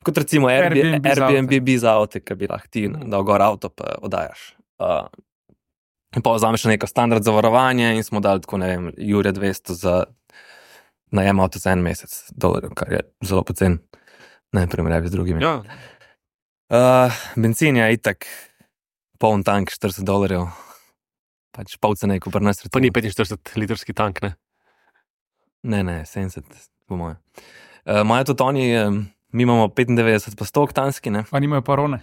S3: kot recimo Airbnb, Airbnb za avte, ki bi lahko ti dal gor avto pa oddajaš. Uh, in pa vzameš neko standard zavarovanje in smo dali tako, ne vem, jurja dvesto za najem avto za en mesec dolarjev, kar je zelo pocen, ne primerjavi z drugimi.
S2: Ja.
S3: Uh, benzin je itak poln tank, štirideset dolarjev, pač pol cene, ko pri nas recimo.
S2: Pa ni petinštirideset litrski tank, ne?
S3: Ne, ne, sedemdeset, po moje. Uh, Imajo tudi oni, um, mi imamo petindevetdeset pa sto oktanski, ne?
S4: Pa nimajo parone.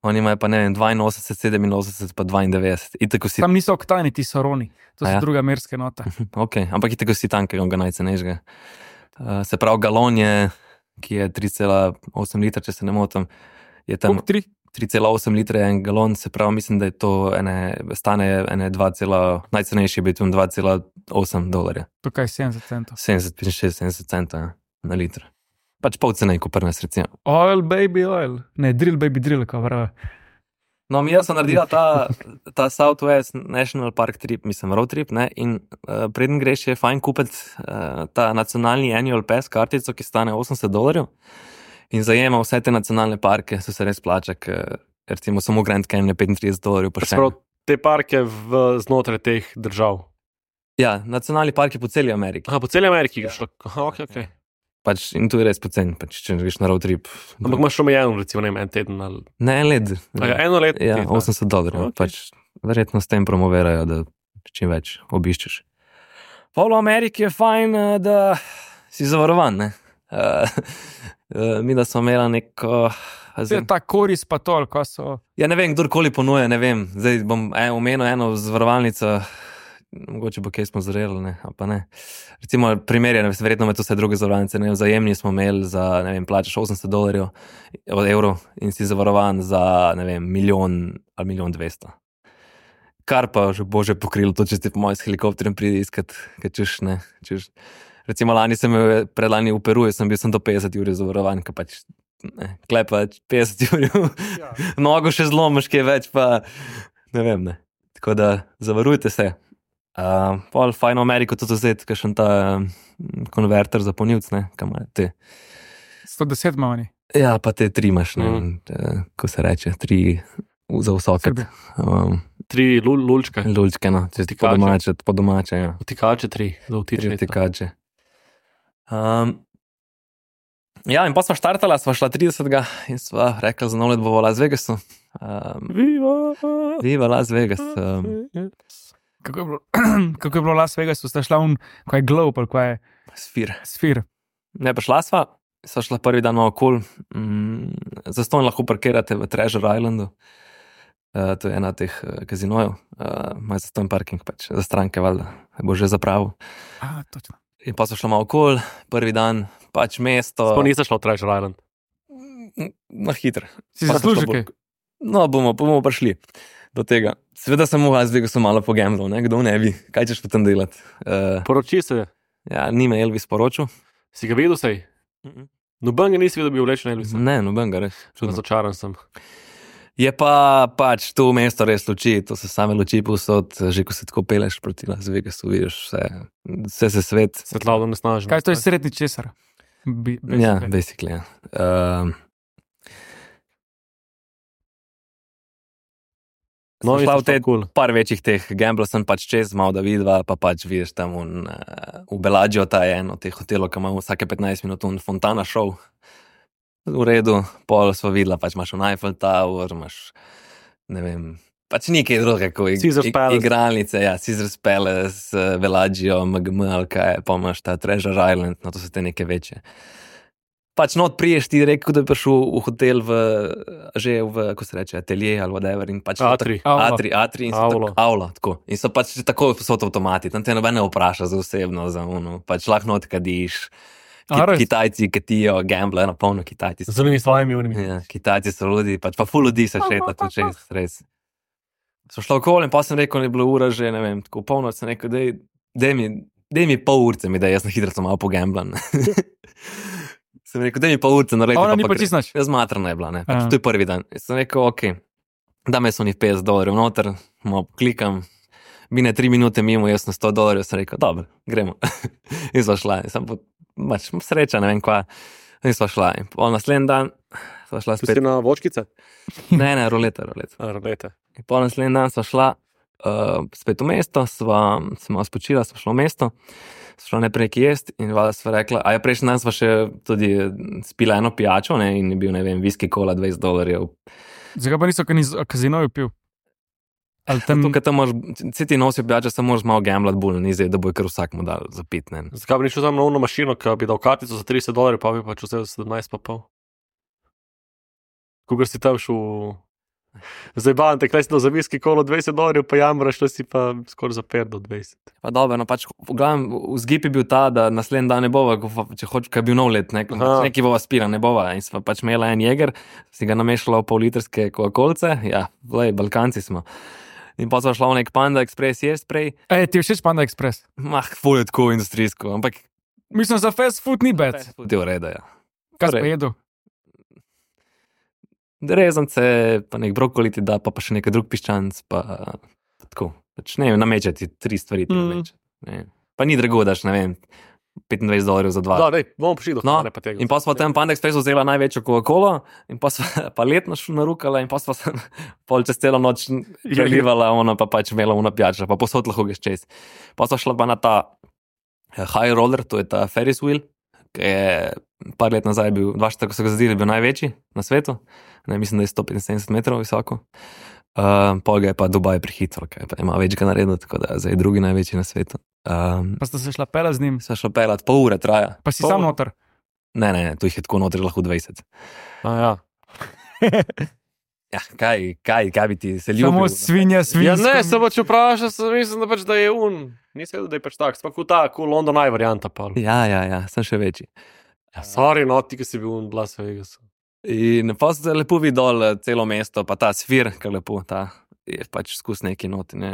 S3: Oni imajo pa, ne vem, dvainosemdeset, sedeminosemdeset pa dvaindevetdeset. Itak vsi,
S4: Tam niso oktani, ti so roni. To so
S3: A ja?
S4: druga merska nota.
S3: ok, ampak itak vsi tankega, on ga najcenejšega. Uh, se pravi, galon je, ki je tri cela osem litra, če se ne motim, je tam
S4: Koliko tri?
S3: tri cela osem litra je en galon, se pravi, mislim, da je to ene, stane ene dva, najcenejši je bil tam dva cela osem dolarja.
S4: Tukaj sedemdeset centov.
S3: sedemdeset, petinšestdeset, sedemdeset centov ja, na liter. Pač pol cene, ko pri nas recimo.
S4: Oil, baby, oil. Ne, drill, baby, drill, kao pravi.
S3: No, mi jaz sem naredila ta, ta Southwest National Park trip, mislim, road trip, ne, in uh, preden greš je fajn kupiti uh, ta nacionalni annual pass kartico, ki stane osemdeset dolarjev in zajema vse te nacionalne parke, so se res plača, ker recimo samo Grand Canyon je petintrideset dolarjev pa še.
S2: Sprav, te parke v, znotraj teh držav.
S3: Ja, nacionalni park je po celi Ameriki.
S2: Aha, po celi Ameriki ga šlo. Aha, ok, ok.
S3: Pač, in tu je res poceni, pač, če greš na road trip.
S2: Ampak imaš omejeno, recimo, ne vem, en teden ali...
S3: Ne, en let.
S2: A ja, eno leto.
S3: Ja,
S2: ti, da.
S3: osemdeset dolarjev.
S2: Ok.
S3: Pač, verjetno s tem promovirajo, da čim več obiščeš. Pol v Ameriki je fajn, eh, da si zavarovan, ne. Uh, uh, mi da smo imeli neko...
S4: To je ta koris pa tol, ko so...
S3: Ja, ne vem, kdorkoli ponuja, ne vem. Zdaj bom en, omenil eno zavarovalnico, mogoče bo kaj smo zreli, ne, ali pa ne. Recimo, primer je, verjetno med vse druge zavarovalnice, ne, vzajemni smo imeli za, ne vem, plačaš osemdeset dolarjev od evrov in si zavarovan za, ne vem, milijon ali milijon dvesto. Kar pa že bo že pokrilo to, če ti po mojem s helikopterjem pride iskat, kaj češ, ne, češ. Recimo, lani sem bil, predlani v Peruju, sem bil sem do petdeset ur zavarovan, ka pač, ne, klepa petdeset ur,
S4: Ja.
S3: nogo še zlomiš, kaj več, pa ne vem, ne. Tako da zavarujte se. Uh, pol fajn v Ameriko tudi vzeti, kakšen ta um, konverter za polnilc, ne, kam imajo te.
S4: sto deset ima oni.
S3: Ja, pa te tri imaš, ne,
S2: Mhm.
S3: mm. ko se reče, tri za vsoket.
S4: Srbi.
S3: Um,
S2: Tri lul, lulčke.
S3: lučke, no, če ti po
S2: Vtikače.
S3: domače, po domače, ja.
S2: Vtikače tri, za
S3: Tri
S2: vtičnico.
S3: vtikače. Um, ja, in pa sva štartala, sva šla tridesetega in sva rekla za nov let bo v Las Vegasu. Um,
S2: Viva!
S3: Viva Las Vegas. Um,
S4: Kako je bilo, kako je bilo v Las Vegasu, sta šla un, ko je globe, ali ko je
S3: Sfir.
S4: sfir.
S3: Ne, pa šla sva, sva šla prvi dan malo kul, mm, zastonj lahko parkirate v Treasure Islandu, uh, to je ena od teh uh, kazinojev, uh, ima zastonj parking, pač za stranke, valjda, bo že zapravil.
S4: A, točno.
S3: In pa so šla malo kul, prvi dan, pač mesto.
S2: Sploh nisi šla v Treasure Island.
S3: Na hitro.
S4: Si
S3: Pa so
S4: zasluži
S3: šla
S4: kaj?
S3: bolj- No, bomo, bomo prišli do tega. Seveda sem v Las Vegasu malo pogambljal, ne, kdo ne bi, kaj češ potem delati. Uh,
S2: Poroči se,
S3: ja, ni me Elvis poročil.
S2: si ga videl sej? Noben ga nisi videl, da bi vlečen Elvisa.
S3: Ne, noben ga res. Čudno.
S2: Razočaran sem.
S3: Je pa pač to mesto res luči, to se same luči povsod, že ko se tako peleš proti Las Vegasu, vidiš vse, vse se svet.
S2: Svetlavo nesnažen.
S4: Kaj to je srednji česar? Bi,
S3: Ja,
S4: basically.
S3: basically, ja. Um,
S2: No,
S3: šla v te
S2: kul.
S3: par večjih teh gamblov sem pač čez, malo da vidva, pa pač vidiš tam un, uh, v Bellagio, ta je eno teh hotelov, ki ima vsake petnajst minut un fontana show. V redu, pol smo videla, pač imaš un Eiffel Tower, imaš, ne vem, pač nekaj drugega, kot
S2: Caesar's Palace.
S3: igralnice, ja, Caesar's Palace, uh, Velaggio, M G M, ali kaj, pa imaš ta Treasure Island, no to so te neke večje. Pač not priješ ti rekel, da bi prišel v hotel v, že v, kako se reče, atelje ali whatever in pač
S2: Atri.
S3: Atri, Atri in so
S2: Avlo.
S3: tako, avlo, tako. In so pač že tako so avtomati, tam te noben ne vpraša za osebno, za ono, pač lahko not kadiš.
S4: A,
S3: Ki,
S4: res?
S3: Kitajci katijo, gamble, na polno Kitajci.
S2: Z unimi svojimi unimi.
S3: Ja, Kitajci so ljudi, pač pa ful ljudi se šeta tu čez, res. So šlo okoli in pa sem rekel, ne bilo ura že, ne vem, tako polnoč sem rekel, dej, dej mi, dej mi pol urce mi, da jaz na hitro sem malo pogamblan. sem rekel, dej mi pol urce narediti.
S4: A ona ni
S3: pa
S4: pa
S3: gre.
S4: čisto nič?
S3: Jaz matrana je bila, ne, pač
S4: Ja.
S3: to je prvi dan. Jaz sem rekel, ok, dame so njih petdeset dolarjev noter, malo klikam, mine tri minute mimo, jaz na sto dolarjev, sem rekel, dobro, gremo. in sva šla, in sem po, pač sreča, ne vem kva, in sva šla. In pol naslednji dan sva šla
S2: Si
S3: spet.
S2: na vočkice?
S3: Ne, ne, roleta, roleta.
S2: A, rolete.
S3: In pol naslednji dan sva šla uh, spet v mesto, sva, sva spočila, sva šla v mesto, sva šla najprej nekaj jesti in valjda sva rekla, a ja, prejšnji dan sva še tudi spila eno pijačo, ne, in je bil, ne vem, whisky cola dvajset dolarjev.
S4: Zakaj pa niso kazinoju pil? Ali tam...
S3: Tukaj tam moraš, vse ti nosijo pijače, samo moraš malo gamblat bolj, ni zdaj, da bo kar vsak mu dal za pit, ne.
S2: Zakaj bi nišel tam na uno mašino, ki bi dal kartico za trideset dolarjev, pa bi pač vzel sedemnajst pa pol? Kogar si tam šel... Zdaj bavam te, kaj si dal za whisky kolo dvajset dolarjev, pa jamraš, to si pa skoraj za pet do dvajset.
S3: Pa dobro, no pač, v glavnem, vzgib je bil ta, da naslednji dan ne bova, ko- če hoč, kaj je bil nov let, ne,
S2: Aha.
S3: neki bova spila, ne bova. In sva pač imela en jeger, si ga namešala v pol litrske kokolce, ja, vlej, Balkanci smo. In pa sva šla v nek Panda Express jest prej,
S4: Ej, ti je všeč Panda Express?
S3: mah, ful je tako industrijsko, ampak
S4: Mislim, za fast food ni bed.
S3: je v redu, ja.
S4: Kaj si
S3: Torej,
S4: pa jedel?
S3: Rezance, pa nek brokoli ti da, pa, pa še nekaj drug piščanc, pa, pa tako. Pač ne vem, namečati tri stvari ti
S2: Mm.
S3: nameče. Ne. Pa ni drago, daš, ne vem, petindvajset dolarjev za dva.
S2: Da, dej, bomo prišli do
S3: No,
S2: hrane pa tega.
S3: in pa smo tam Panda Expressu vzela največjo Coca-Colo in pa sva pa letno šla narukala in pa sva se pol čez celo noč prelivala, ona pa pač imela ona pijača, pa posod lahko greš čez. Pa sva šla pa na ta eh, high roller, to je ta Ferris wheel, ki je par let nazaj bil, dva štiri, ko so ga zadeli, bil največji na svetu. Ne, mislim, da je sto petinsedemdeset metrov visoko. Uh, pol ga je pa Dubaj prehitro, ker pa ima več ga naredil, tako da zdaj je drugi največji na svetu. Um,
S4: Pa sta se šla pela z njim,
S3: sva šla pelat, pol ure traja.
S4: pa si
S3: Pol-
S4: sam noter.
S3: Ne, ne, ne, tu jih je tako notri lahko dvajset.
S2: A, ja.
S3: Ja, kaj, kaj, kaj bi ti se ljubil?
S4: Samo svinja,
S2: Ja,
S4: svinja.
S2: ne, se pač vprašal, sem mislim, da, pač, da je un. Nisem vedel, da je pač tak, sploh ta, kot London Eye varianta. Pa.
S3: Ja, ja, ja, sem še večji.
S2: Ja, sorry, no, ti, ki si bil v Las Vegasu.
S3: In pa se lepo vidi dol eh, celo mesto, pa ta sfir, ki je lepo, ta je pač skus neki noti. Ne.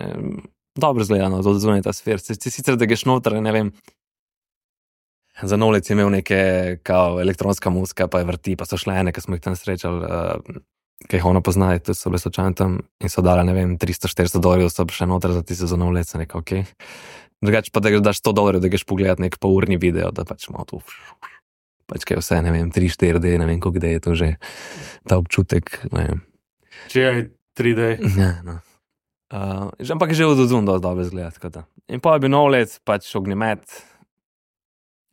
S3: Dobro zgledano, to zunaj ta sfir. Se, se, sicer, da greš noter, ne vem. Za novlec je imel neke kao elektronska muzika, pa je vrti, pa so šle ene, ki smo jih tam srečali, uh, ki jih ono poznajo, to so bile slučajno tam in so dali, ne vem, tristo štiristo dolarjev, so še noter za tiste za novlec, sem rekel, ok. Drugače pa da greš daš sto dolarjev, da greš pogledat nek polurni video, da pač malo tu, pač kaj vse, ne vem, tri, štiri D, ne vem, koliko D je to že, ta občutek, ne vem.
S2: Če je tri D.
S3: Ja, no. Uh, že, ampak že od odzun dosti dobro izgleda, tako da. In pa je bil nov let, pač ognjemet.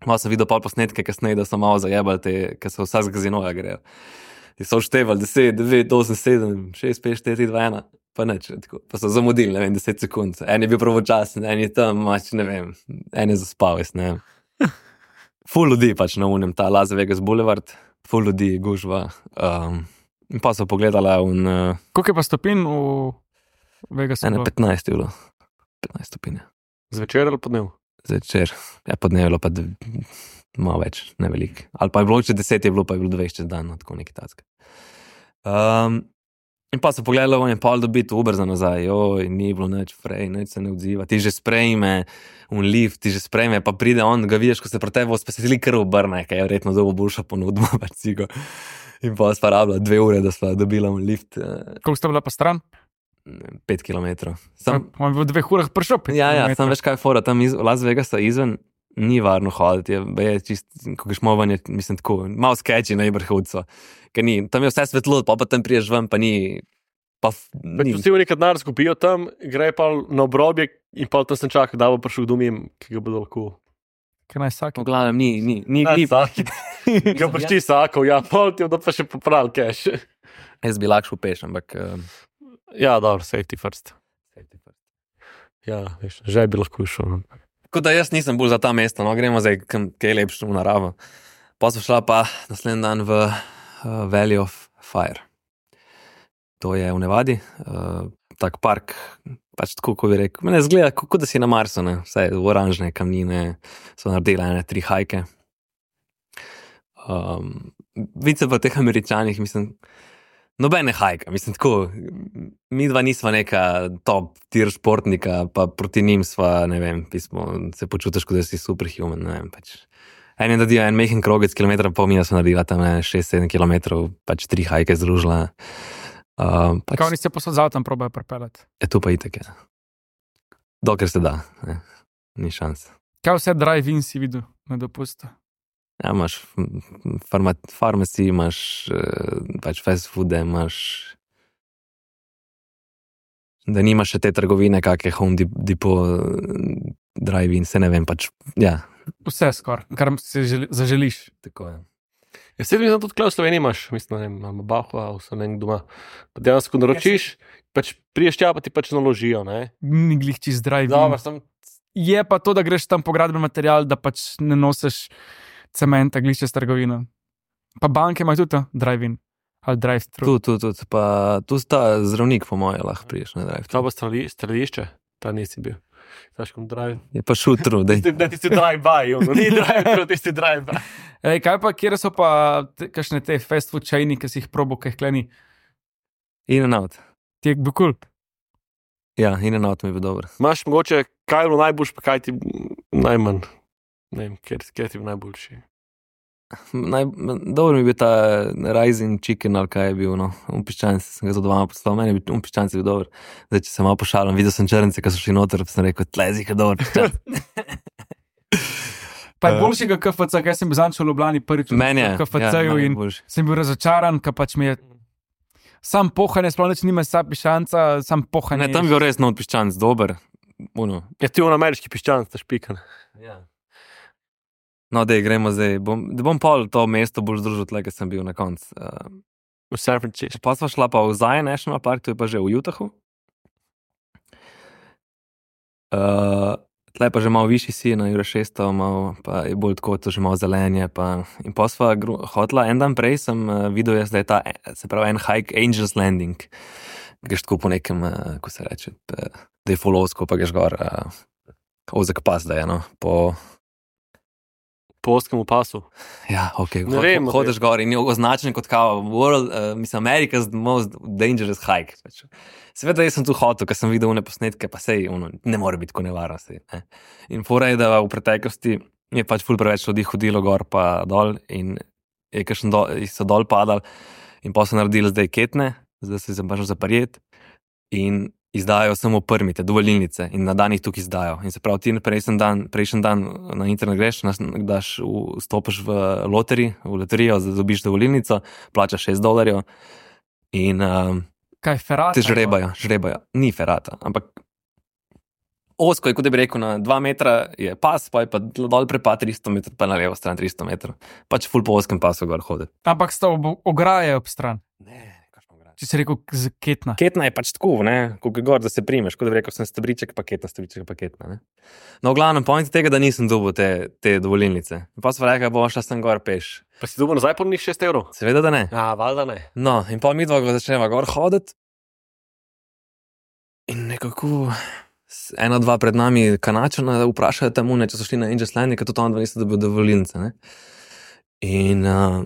S3: Malo sem videl pol posnetke kasneje, da so malo zajebali te, ki so vsa z gazinoja grejo. In so števali deset, devet, osem, sedem, šest, pet, štiri, dva, ena, pa neč, tako. Pa so zamudili, ne vem, deset sekund. En je bil pravočasen, en je tam, mač, ne vem, en je zaspal, jaz ne vem. Ful ljudi pač na unem, ta Las Vegas Boulevard, ful ljudi, gužva. Um, in pa so pogledala in uh,
S4: Koliko je pa stopin v Vegasu?
S3: ene petnajst je bilo. petnajst stopinj.
S2: Zvečer ali podnev?
S3: Zvečer, ja, podnevilo pa dv- malo več, ne veliko. Ali pa je bilo če deset, je bilo pa je bilo dvajset čez dan, no, tako neki tacka. Um, in pa so pogledali, on je pol dobiti Uber za nazaj, joj, ni bilo nič frej, nič se ne odziva, ti že sprejme, un lift, ti že sprejme, pa pride on, ga vidiš, ko se proti tebi spesili kar obrne, kaj je verjetno dobo boljša ponudba, pač cigo. In pa sva rabila dve ure, da sva dobila un lift, eh,
S4: Koliko sta bila pa stran?
S3: pet kilometrov. Sam,
S4: On je v dveh urah prišel. pet
S3: Ja, ja,
S4: kilometrov.
S3: sam veš kaj je fora, tam iz Las Vegasa izven ni varno hoditi, je, je čist, ko greš movanje, mislim tako, malo sketchy na Ibrhudcu, ker ni, tam je vse svetlo, pa pa tam priješ ven, pa ni, pa f-
S2: Pač
S3: ni.
S2: vsi v nekaj denar skupijo tam, gre pa na obrobje in pa tam sem čakal, da bo prišel domim, ki ga bodo lahko.
S4: Kaj naj vsak?
S3: V glavnem ni, ni, ni, ni.
S2: Saki. Ga prišti sakov, ja, pol ti, da pa še popravil cash.
S3: Jaz bi lahko šel peš, ampak uh,
S2: Ja, dobro, safety first.
S3: Safety first.
S2: Ja, veš, že bi lahko šel. No.
S3: Tako da jaz nisem bolj za ta mesta, no, gremo zdaj kam, kaj je lepše v naravo. Pa smo šla pa naslednji dan v uh, Valley of Fire. To je v Nevadi, uh, tak park, pač tako, ko bi rekel. Mene zgleda, kot da si na Marsu, ne, vse oranžne kamnine, so naredile ene tri hajke. Um, Vice pa teh Američanih, mislim, nobene hajka, mislim, tako, mi dva nisva neka top tier športnika, pa proti njim sva, ne vem, pismo, se počutiš, kot da si superhuman, ne vem, pač. En je naredil en mehen krogec, kilometra pa mi smo naredila tam šest sedem kilometrov, pač tri hajke združila. Uh, pač,
S4: Kaj oni se posod z avtom probajo pripeljati?
S3: je to pa itak, ja. Dokler se da, ne, ni šans.
S4: Kaj vse drive-in si videl na dopustu?
S3: Ja, imaš farma, farmaci, imaš uh, pač fast foode, imaš da nimaš še te trgovine, kakje Home Depot, drive-in, se ne vem, pač, ja.
S4: Vse skoraj, kar si želi, zaželiš.
S3: Tako je.
S2: Ja, sedem minut tudi tukaj v Sloveniji imaš, mislim, ne vem, imamo Bahua, vse nekaj doma. Pa dejansko naročiš, pač priješ tja, pa ti pač naložijo, ne?
S4: Ni glih čist drive-in.
S2: Dobro, sem...
S4: Je pa to, da greš tam po gradbeni material, da pač ne nosiš cementa, glih čez trgovino. Pa banke imajo tudi drive-in ali drive-thru.
S3: Tu, tu, tu, pa tu sta zdravnik, po moje, lahko priješ na drive.
S2: To pa streli, strelišče, ta nisi bil. Znaš, kom drive.
S3: Je pa šutru, dej.
S2: Da ti si drive-by, ono, ni drive-thru, ti si drive-by.
S4: Ej, kaj pa, kjer so pa te, kakšne te fast food chaini, ki si jih probo, kaj kleni?
S3: In and out.
S4: Ti je bil kul.
S3: Ja, in and out mi je bil dober.
S2: Imaš mogoče, kaj je bilo najboljš, pa kaj ti najmanj, ne vem, kjer, kjer ti je bil najboljši.
S3: Naj, dobro mi je bil ta rising chicken, ali kaj je bil, no, umpiščanci, sem ga za dvama poslal, meni je bil umpiščanci bil dober. Zdaj, če se malo pošalim, videl sem črnce, ki so šli noter, pa sem rekel, tlezi, je dober piščanc.
S4: Pa je boljšega K F C, kaj sem bil zanč v Ljubljani prvič v
S3: Meni je,
S4: K F C-ju
S3: ja,
S4: in
S3: boljši.
S4: sem bil razočaran, ker pač mi je sam pohanje, sploh nič nima sa pišanca, sam pohanje.
S3: Ne, tam je bil res nov piščanc, dober. Uno.
S2: Ja, ti je on ameriški piščanc, ta špikan.
S3: Ja. No, dej, gremo zdaj. Bom, da bom pol to mesto bolj združil, tle, ker sem bil na koncu. Uh,
S2: V San Francisco.
S3: pa sva šla pa v Zion National Park, to je pa že v Utahu. Uh, tle pa že malo višji si, na Jure šeststo, malo, pa je bolj tako, to že malo zelenje. Pa, in pa sva gru, hotla, en dan prej sem uh, videl, jaz, da je ta, se pravi, en hike Angels Landing. Greš tako po nekem, uh, ko se reče, pa, da je folovsko, pa greš gor, uh, ozek pas, da je, no, po...
S2: Po oskemu pasu.
S3: Ja, ok,
S2: Ne
S3: hod,
S2: vem,
S3: hodeš gor in je označen kot kao world, uh, mislim, America's most dangerous hike. Pač. Seveda, jaz sem tu hotel, ker sem videl une posnetke, pa sej, ono, ne more biti tako nevarno. Sej, ne. In fora je, da v preteklosti je pač ful preveč ljudi hodilo gor pa dol in je kakšen dol, so dol padali in pa so naredili zdaj ketne, zdaj se jim pač zaparjet in izdajo samo permite, dovolilnice in na dan jih tukaj izdajo. In se pravi, ti prejšnji dan, prejšnji dan na internet greš, daš, vstopiš v loteri, v loterijo, dobiš dovolilnico, plačaš šest dolarjev in um,
S4: Kaj, ferata?
S3: te žrebajo, žrebajo. Ni ferata, ampak osko je, kot bi rekel, na dva metra je pas, pa je pa dol prepa tristo metrov, pa na levo stran tristo metrov. Pač ful po oskem pasu gor hoditi.
S4: Ampak sta ob, ograje ob stran.
S3: Ne,
S4: Če si rekel z ketna.
S3: Ketna je pač tako, ne, koliko gor, da se primeš, kot da bi rekel, sem stebriček, pa ketna, stebriček, pa ketna, ne. No, v glavnem, point tega, da nisem dobil te, te dovolilnice. Pa so rekli, bo šla sem gor peš.
S2: Pa si dobil nazaj po njih šest evrov?
S3: Seveda, da ne.
S2: Ja, valjda ne.
S3: No, in pa mi dva ga začneva gor hoditi in nekako ena, dva pred nami Kanačana vprašajo tam une, če so šli na Angels Landing, ker tudi on dva niste dobil dovolilnice, ne. In uh,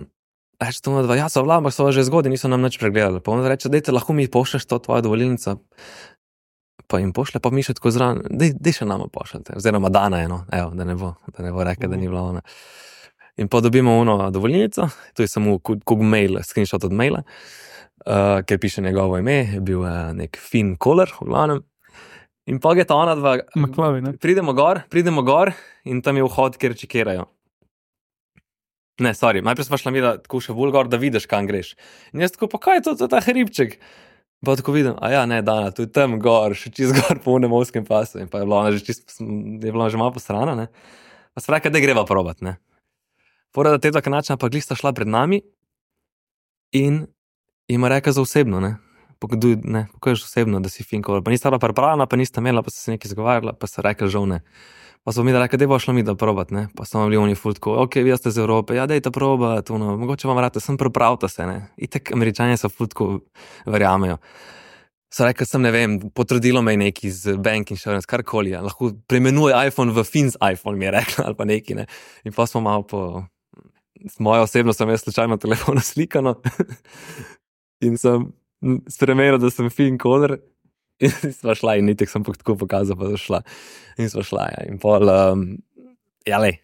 S3: reče to dva, ja, so vla, ampak so že zgodaj, niso nam nič pregledali. Pa on reče, dejte, lahko mi pošleš to tvojo dovolilnico. Pa jim pošle, pa mi še tako zraven, dej, dej še nama pošljete. Oziroma dana je, no, evo, da ne bo, da ne bo rekel, da ni bila ona. In pa dobimo ono dovolilnico, to je samo kog mail, screenshot od maila, uh, ker piše njegovo ime, je bil uh, nek Finn Koller, v glavnem. In pa je ta ona dva,
S4: Maklavi, ne?
S3: pridemo gor, pridemo gor in tam je vhod, kjer čekirajo. Ne, sorry, najprej smo šla mi, da tako še bolj gor, da vidiš, kam greš. In jaz tako, pa kaj je to, to je ta hribček? Pa tako vidim, a ja, ne, Dana, tu je tam gor, še čist gor po unem ovskem pasu. In pa je bila ona že čist, je bila že malo posrana, ne. Pa se pravi, da greva probat, ne. Fora, da te dva Kanačana pa glih sta šla pred nami in ima reka za osebno, ne. Pokaduj, ne, pokažeš osebno, da si fin koler. Pa nista bila pripravljena, pa nista imela, pa so se nekaj zagovarjala, pa so rekli žal ne. Pa so mi rekli, da bo šlo mi da probat, ne. Pa so bili oni ful tako, ok, vi ste iz Evrope, ja, dejte probat, ono, mogoče vam rate, sem pripravite se, ne. Itak Američani so ful tako verjamejo. So rekli, sem ne vem, potrudilo me je neki z bank insurance, karkoli, ja. Lahko preimenuje iPhone v Fins iPhone, mi je rekla, ali pa neki, ne. In pa smo malo po, moja osebno sem jaz slučajno telefon slikano in sem spremenil, da sem fin koder in sva šla in nitek sem tako pokazal, pa šla in sva šla, ja, in pol, um, ja, lej,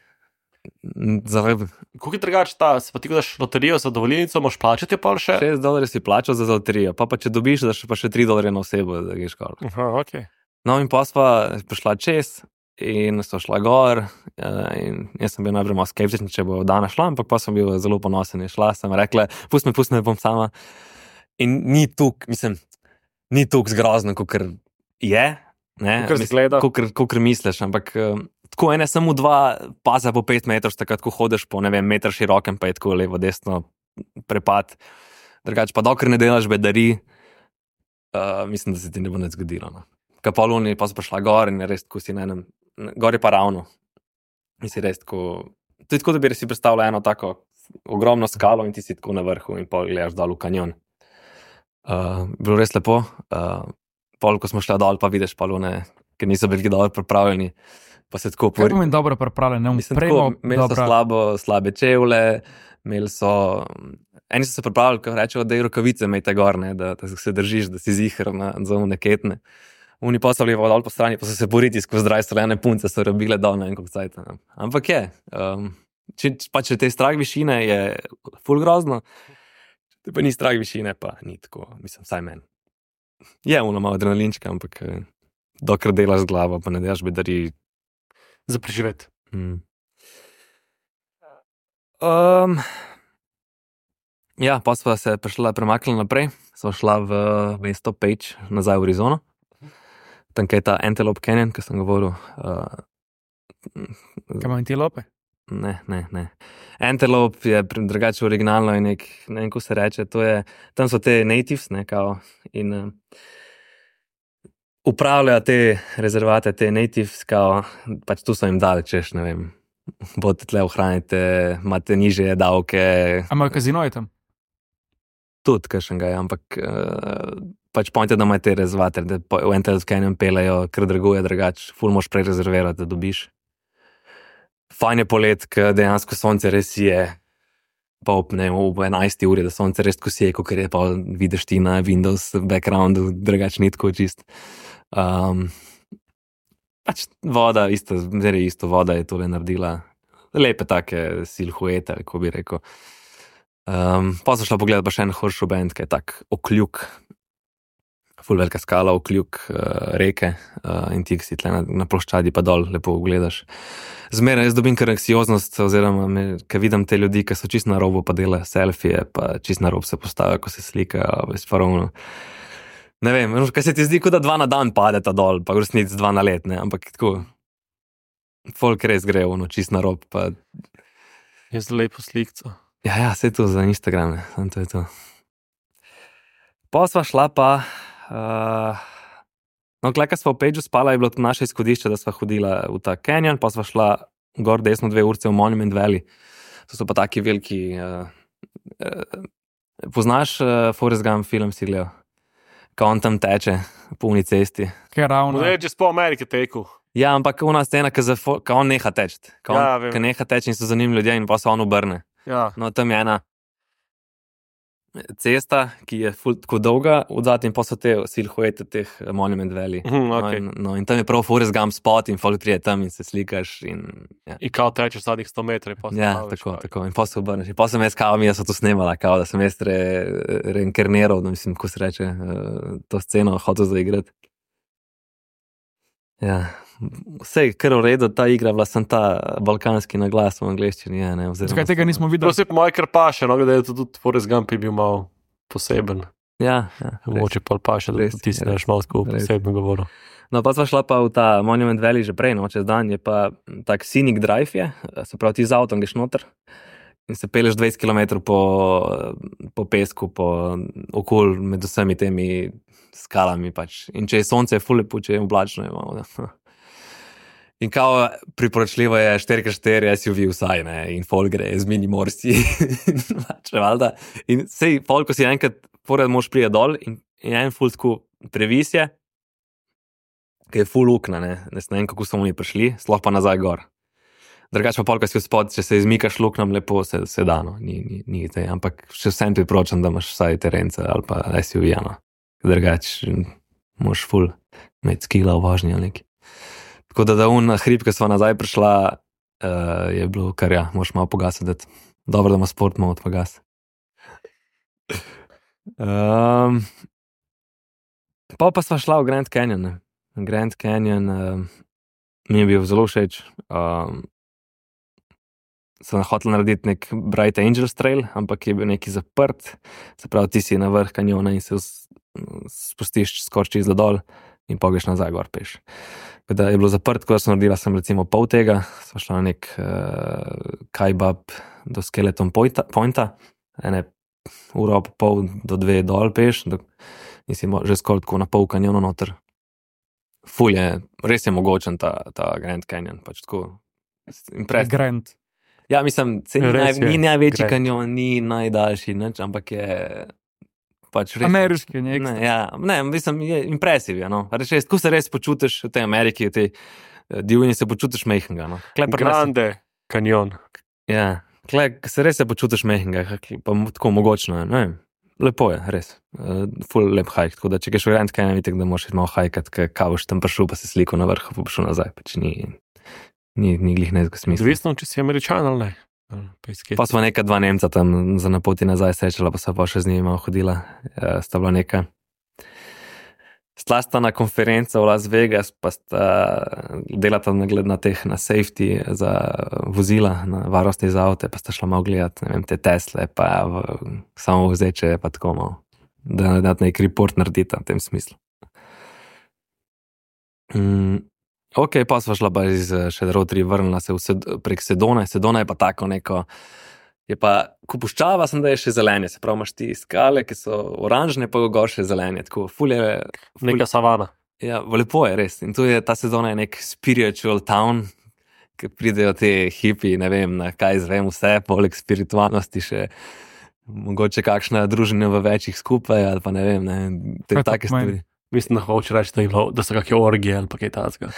S3: zaradi.
S2: Kako je drugače ta, se pa ti daš loterijo za dovoljenico, moš plačati pol še?
S3: šest dolarjev si plačal za loterijo, pa pa če dobiš, da še pa še tri dolarje na osebo, da greš kar.
S2: Aha, okej.
S3: No in pa sva prišla čez in so šla gor in jaz sem bil najprej malo skeptičen, če bo dana šla, ampak pa sem bil zelo ponosen in šla, sem rekla, pust me, pust me, bom sama. In ni tuk, mislim, ni tuk zgrozno, kakor je, ne,
S2: Kakor zgleda.
S3: kakor, kakor misliš, ampak um, tako ene samo dva paza po pet metrov, takrat, ko hodeš po, ne vem, meter širokem, pa je tako levo, desno prepad, drugače pa dokler ne delaš bedari, uh, mislim, da se ti ne bo nič zgodilo, no. Ka poluni, pa so prišla gor in je res tako si na enem, gor je pa ravno, in si res tako, to je tako, da bi si predstavljal eno tako ogromno skalo in ti si tako na vrhu in pol gledaš dol v kanjon. Uh, bilo res lepo, uh, pol, ko smo šli dol, pa vidiš palune, ker niso bili dobro pripravljeni, pa se tako
S4: Kaj pomeni dobro pripravljen, ne
S3: Mislim,
S4: umpremo,
S3: tako, imeli so slabo, slabe čevlje, imeli so, eni so se pripravili, ko rečejo, da je rokavice imejte gor, ne, da, da se držiš, da si ziher na zovne ketne. Oni pa so bili dol po strani, pa so se boriti skozi zdraj solene punce, so robile dol na enkog cajt. Ampak je, um, če, pa če te strah višine, je ful grozno, če pa ni strah višine, pa ni tako, mislim, vsaj meni. Je ono malo adrenalinčka, ampak dokler delaš z glavo, pa ne delaš bedari.
S2: Za preživeti.
S3: Hmm. Um, ja, pa sva se prišla, premaknila naprej, sva šla v mesto Page, nazaj v Arizono. Tam je ta Antelope Canyon, ki sem govoril. Uh,
S4: Kaj ima antilope?
S3: ne, ne, ne. Antelope je drugače originalno in nek, ne vem, ko se reče, to je, tam so te natives, ne, kao, in uh, upravljajo te rezervate, te natives, kao, pač tu so jim dali, češ, ne vem, bote tle ohranite, imate nižje davke.
S4: A imajo kazinoje tam?
S3: Tudi, kakšen ga je, ampak uh, pač pojte, da imajo te rezervate, da po, v Antelope Canyon pelejo, ker draguje drugač, ful moš prej rezervirati, da dobiš. Fajn je polet, ker dejansko sonce res je, pa ob, ne, ob enajsti uri, da sonce res tako sije, kot je pa vidiš ti na Windows backgroundu, drugač ni tako čist. Um, pač voda, isto, zelo isto voda je tole naredila, lepe take silhuete, ko bi rekel. Um, pa so šla pogledati pa še en Horseshoe Bend, ki je tak okljuk, ful velika skala, okljuk uh, reke uh, in ti si tle na, na ploščadi pa dol lepo gledaš. Zmeraj jaz dobim kar anksioznost, oziroma me, ker vidim te ljudi, ki so čist na robu, pa delajo selfije, pa čist na rob se postavijo, ko se slikajo, farovno. Ne vem, kaj se ti zdi, kot da dva na dan padeta dol, pa v resnici dva na let, ne, ampak tako, folk res gre, ono, čist na rob, pa.
S2: Je zelo lepo slikco.
S3: Ja, ja, vse to za Instagram, ne, samo to je to. Pa sva šla pa, uh, no, kleka sva v Pageu spala, je bilo to naše izhodišče, da sva hodila v ta canyon, pa sva šla gor desno dve urce v Monument Valley. To so pa taki veliki, uh, uh, poznaš uh, Forrest Gump film, si gledal? Ko on tam teče po uni cesti.
S4: Kaj ravno?
S2: Ne, če po Ameriki tekel.
S3: Ja, ampak ona scena, ko on neha teči, ko on,
S2: Ja, vem.
S3: ko neha teči in so za njim ljudje in pa se on obrne.
S2: Ja.
S3: No, tam je ena cesta, ki je ful tako dolga, odzadaj in pa so te silhuete teh Monument Valley.
S2: Mhm,
S3: No,
S2: okej.
S3: in, no, in tam je prav Forrest Gump spot in folk prije tam in se slikaš in ja.
S2: In kao tečeš zadnjih sto metrov. pa se
S3: Ja,
S2: staviš,
S3: tako,
S2: pa-
S3: tako. In pa se obrneš. In pa sem jaz kao, mi jaz sem to snemala, kao, da sem jaz re, reinkarniral, no, mislim, ko se reče, uh, to sceno hotel zaigrati. Ja, vse, kar v redu, ta igra, bila sem ta balkanski naglas v angleščini, ja, ne, oziroma.
S4: Zakaj tega nismo
S2: To
S4: videli?
S2: se po moje kar paše, no, da je to tudi Forrest Gump je bil malo poseben.
S3: Ja, ja. res.
S2: Mogoče pa paše, da
S3: Res,
S2: ti si
S3: res,
S2: neš malo tako
S3: res.
S2: posebno govoril.
S3: No, pa sva šla pa v ta Monument Valley že prej, no, čez dan je pa tak scenic drive je, se pravi ti z avtom greš noter in se peleš dvajset kilometrov po, po pesku, po okol med vsemi temi skalami. Pač. In če je sonce, je ful lepo, če je oblačno. Je malo, in kao priporočljivo je štiri krat štiri S U V vsaj, ne, in fol gre z mini morsi. In sej, fol, ko si enkrat pored mož prije dol in, in en ful tako previs je, ki je ful lukna, ne, ne vem, kako so oni prišli, sploh pa nazaj gor. Drugač pa pol, ko si spod, če se izmikaš luknam, lepo se, se da, no, ni, ni, ni te, ampak še vsem ti priporočam, da imaš vsaj terence ali pa S U V, no. Drugač moš ful imeti skila v vožnji ali neki. Tako da da un hrib, ko sva nazaj prišla, uh, je bilo kar ja, moš malo pogasati, dobro, da ima sport malo odpogas. Um, pa pa sva šla v Grand Canyon, ne. Grand Canyon uh, mi je bil zelo všeč. Um, sem hotel narediti nek Bright Angels Trail, ampak je bil neki zaprt, se pravi, ti si na vrh kanjona in se spustiš skoraj čez dol in pogreš nazaj gor peš. Da je bilo zaprt, ko sem naredila sem recimo pol tega, sva šla na nek uh, kajbab do Skeleton Pointa, pointa ene uro pa pol do dve dol peš, do, in si že skoraj tako na pol kanjona noter. Ful je, res je mogočen ta, ta Grand Canyon, pač tako impresivno.
S4: Grand.
S3: Ja, mislim, ni, naj,
S2: Res je,
S3: ni največji
S2: Grand.
S3: kanjon, ni najdaljši, nič, ampak je pač res.
S4: Ameriški, nek.
S3: Ne, ja, ne, mislim, je impresiv, ja, no. Res, res, ko se res počutiš v tej Ameriki, v tej uh, divjini se počutiš mehkega, no. Kle pri nas-
S2: Grande kanjon.
S3: Ja, kle, ko se res se počutiš mehkega, pa mo- tako mogočno, ne vem. Lepo je, res. Uh, ful lep hajk, tako da če greš v Grand Canyon, vidik, da moraš malo hajkat, ker kao boš tam prišel, pa se sliko na vrhu, pa boš šel nazaj, pač ni, ni, ni glih nekega smisla.
S2: Odvisno, če si Američan ali ne. Ali Pa, iz kje
S3: Pa
S2: si.
S3: smo neka dva Nemca tam za na poti nazaj srečala, pa sva pa še z njimi malo hodila. Uh, sta bila neka. Stla sta na konferenco v Las Vegas, pa sta delata na gled na teh, na safety za vozila, na varnosti za avte, pa sta šla malo gledati, ne vem, te Tesle, pa v, samo vzeče, pa tako malo, da, da nek report naredita v tem smislu. Mm. Ok, pa sva šla pa iz eh, še rotri, vrnila se v sed, prek Sedone. Sedona je pa tako neko, je pa, ko puščava sem, da je še zelenje, se pravi, imaš ti skale, ki so oranžne, pa gor še zelenje, tako ful je, ful,
S2: Neka savana.
S3: ja, lepo je res. In tu je, ta Sedona je nek spiritual town, ki pridejo te hipi, ne vem, na kaj zvem vse, poleg spiritualnosti še mogoče kakšna družina v večjih skupaj, ali pa ne vem, ne, te
S4: Kaj to
S3: take
S4: pomeni?
S3: stvari.
S2: Mislim, da hoče reči, da, je bilo, da so kakšne orgije ali pa kaj takega.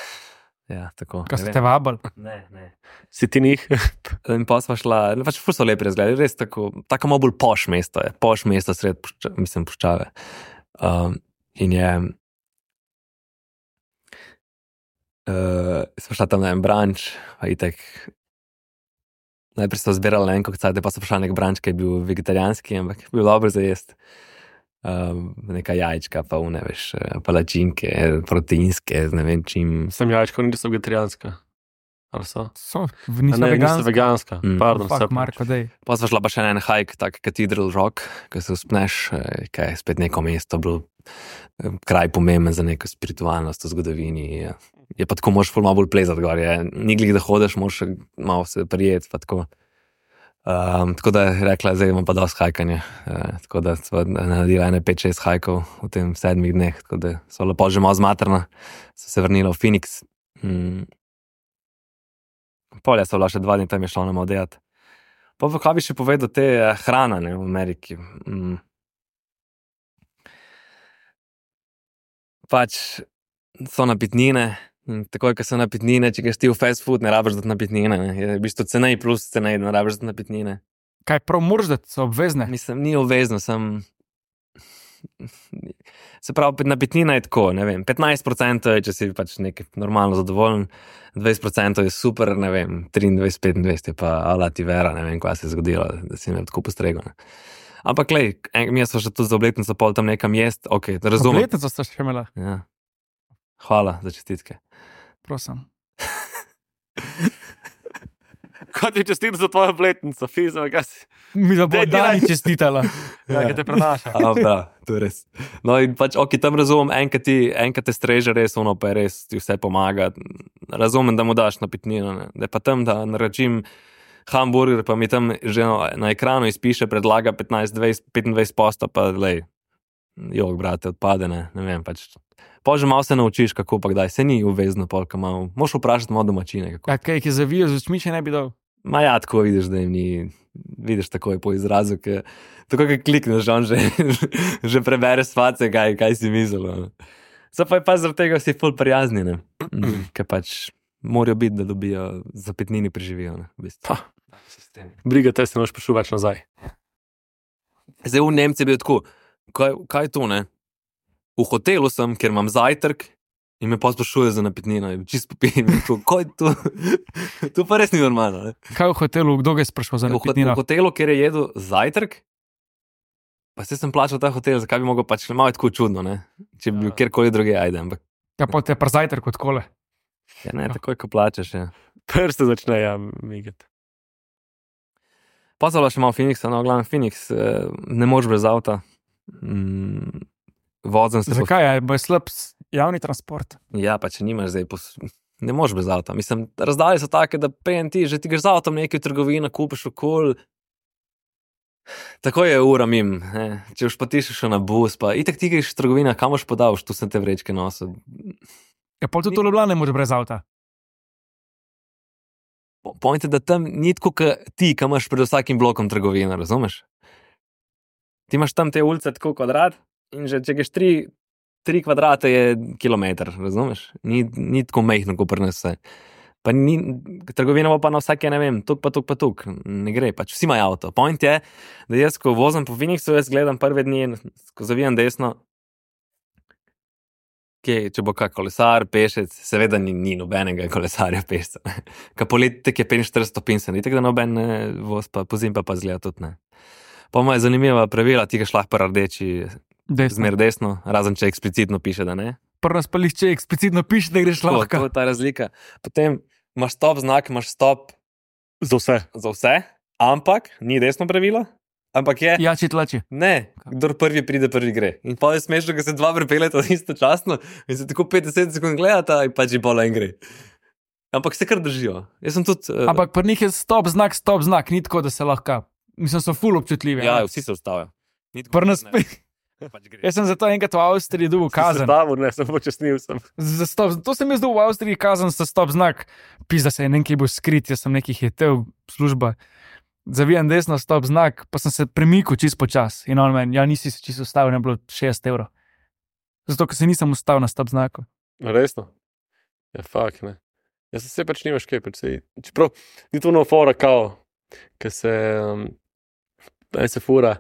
S3: Ja, tako.
S4: Kaj
S3: ne
S4: ste
S3: vem.
S4: vabili?
S3: Ne, ne.
S2: Si ti njih?
S3: In pa sva šla, pač ful so lepi razgledi, res tako, tako malo bolj poš mesto je, poš mesto sred, pušča, mislim, puščave. Um, in je, uh, sva šla tam na en branč, pa itek, najprej so zbirali en kokcajte, pa so prišla nek branč, ki je bil vegetarijanski, ampak je bil dober za jest. Um, neka jajčka, pa une, veš, palačinke, proteinske, ne vem čim.
S2: Sem jajčko, niso vegetarijanska. Ali so?
S4: So,
S2: A
S4: niso
S2: ne, niso
S4: veganski.
S2: veganska.
S3: Mm.
S2: Pardon,
S4: Fuck,
S2: se
S4: Marko, dej.
S3: Pa sva šla pa še na en hike, tak Cathedral Rock, ki se uspneš, eh, kaj je spet neko mesto, bilo eh, kraj pomemben za neko spiritualnost v zgodovini. Je, je pa tako, moraš ful malo bolj plezati gor, je, ni glih, da hodeš, moraš še malo se prijeti, pa tako. Um, tako da je rekla, zdaj imam pa dosti hajkanja, uh, tako da sva naredila ene pet šest hajkov v tem sedmih dneh, tako da so lepo že malo zmatrna, so se vrnila v Phoenix. Mm. Polja so bila še dva dni, tam je šla na malo delati. Pa kaj bi še povedal te eh, hrana, ne, v Ameriki. Mm. Pač so napitnine, in takoj, ko so napitnine, če greš ti v fast food, ne rabiš dati napitnine, ne. Je v bistvu cenej plus cenej, ne rabiš dati napitnine.
S4: Kaj prav moraš, da so obvezne?
S3: Mislim, ni obvezno, sem... Se pravi, napitnina je tako, ne vem, petnajst procentov je, če si pač nek normalno zadovoljen, dvajset procentov je super, ne vem, triindvajset petindvajset je pa ala ti vera, ne vem, kaj se je zgodilo, da si me tako postregel. Ne. Ampak, lej, en- mi smo še tudi za obletnico pol tam nekam jest, ok, razumem.
S4: Obletnico ste še imela,
S3: Ja. Hvala za čestitke.
S4: prosim.
S2: Kot ti čestitam za tvojo obletnico, fizma, kaj si.
S4: Mi da bo
S2: Daj, ti
S4: Dani
S2: naj-
S4: čestitala.
S2: Ja, kaj te prenaša.
S3: A, da, to je res. No in pač, ok, tam razumem, enkrat ti, enkrat te streže res, ono pa je res, ti vse pomaga. Razumem, da mu daš napitnino, ne. Da je pa tam, da naročim hamburger, pa mi tam že na, na ekranu izpiše, predlaga petnajst, dvajset, petindvajset posta, pa lej, jog, brate, odpade, ne, ne vem, pač. Pa že malo se naučiš, kako pa kdaj, se ni uvezno, polka malo, moš vprašati malo domačine, kako.
S4: Ja, kaj, ki zavijo z očmi, če ne bi dal.
S3: Ma ja, tako vidiš, da jim ni, vidiš takoj po izrazu, ke, tako kaj klikneš, on že, že prebere svace, kaj, kaj si mislil. Zdaj pa je pa zaradi tega vsi ful prijazni, ne, ker pač morajo biti, da dobijo zapetnini preživijo, ne, v bistvu.
S2: Briga te se noš prišel več nazaj.
S3: Zdaj v Nemci je bil tako, kaj, kaj je to, ne? V hotelu sem, ker imam zajtrk in me pa sprašuje za napitnino, čist popijem, kaj je to? To pa res ni normalno, ne?
S4: Kaj v hotelu, kdo ga je sprašal za
S3: V, hot,
S4: napitnino?
S3: v hotelu, kjer je jedel zajtrk, pa se sem plačal ta hotel, zakaj bi mogel pač, malo je tako čudno, ne? Če bi bil kjerkoli druge, ajde, ampak.
S4: Ja, pa te pa zajtrk od kole.
S3: Ja, ne, takoj, ko plačaš, ja.
S2: Prste začne, ja, migati.
S3: Pa so še malo Phoenixa, no, glavno Phoenix, eh, ne moreš brez avta. Mm, vozem se.
S4: Zakaj? Je, bo je slab javni transport.
S3: Ja, pa če nimaš zdaj, pos... ne moreš brez avta. Mislim, razdalje so take, da prejem ti, že ti greš z avtom nekaj v trgovino, kupiš okol. Tako je ura mim, ne. Če už pa ti še na bus, pa itak ti greš v trgovino, kam boš podal, tu sem te vrečke nosil.
S4: Ja, pol tudi v Ljubljani ne moreš brez avta.
S3: Point je, da tam ni tako, ka ti, ki imaš pred vsakim blokom trgovino, razumeš? Ti imaš tam te ulice tako kvadrat in že če greš tri, tri kvadrate je kilometer, razumeš? Ni, ni tako mehno, ko pri nas vse. Pa ni, trgovina bo pa na vsake, ne vem, tuk pa tuk pa tuk, ne gre, pač vsi imajo avto. Point je, da jaz, ko vozim po Phoenixu, jaz gledam prve dni, ko zavijem desno, Kje, če bo kak kolesar, pešec, seveda ni, ni nobenega kolesarja pešca. Ka poleti tek je petinštirideset stopinj, se ni tako, da noben voz, pa pozim pa pa zgleda tudi ne. Pa ima je zanimiva pravila, ti ga šlah pa rdeči,
S4: Desno.
S3: zmer desno, razen če eksplicitno piše, da ne.
S4: Prvo spališ, če eksplicitno piše, da greš
S3: To,
S4: lahko.
S3: to je ta razlika. Potem imaš stop znak, imaš stop
S2: Za vse.
S3: za vse, ampak ni desno pravilo, ampak je,
S4: Ja, če tlači.
S3: ne, kdor prvi pride, prvi gre. In pa je smešno, ko se dva pripeljeta istočasno in se tako petdeset sekund gledata in pač je bola in gre. Ampak se kar držijo. Jaz sem tudi... Uh,
S4: Ampak pri njih je stop znak, stop znak, ni tako, da se lahko. Mislim, so ful občutljivi.
S3: ja,
S4: ne.
S3: vsi se ustavijo. Ni tako,
S4: Pri nas
S3: ne,
S4: spet.
S3: pač gre.
S4: Jaz sem zato enkrat v Avstriji dobil kazen.
S2: Stavil, ne, sem počasnil sem.
S4: Za stop, to sem jaz dobil v Avstriji kazen za stop znak. Pizda se je nekaj bil skrit, jaz sem nekaj hitel, služba. Zavijem desno, stop znak, pa sem se premikal čist počas. In on meni, ja, nisi se čisto ustavil, ne bilo šest evrov. Zato, ker se nisem ustavil na stop znaku.
S2: Resno? Ja, fakt, ne. Jaz se pač nimaš kaj, pač se, čeprav ni to no fora kao, ker se, um, en se fura,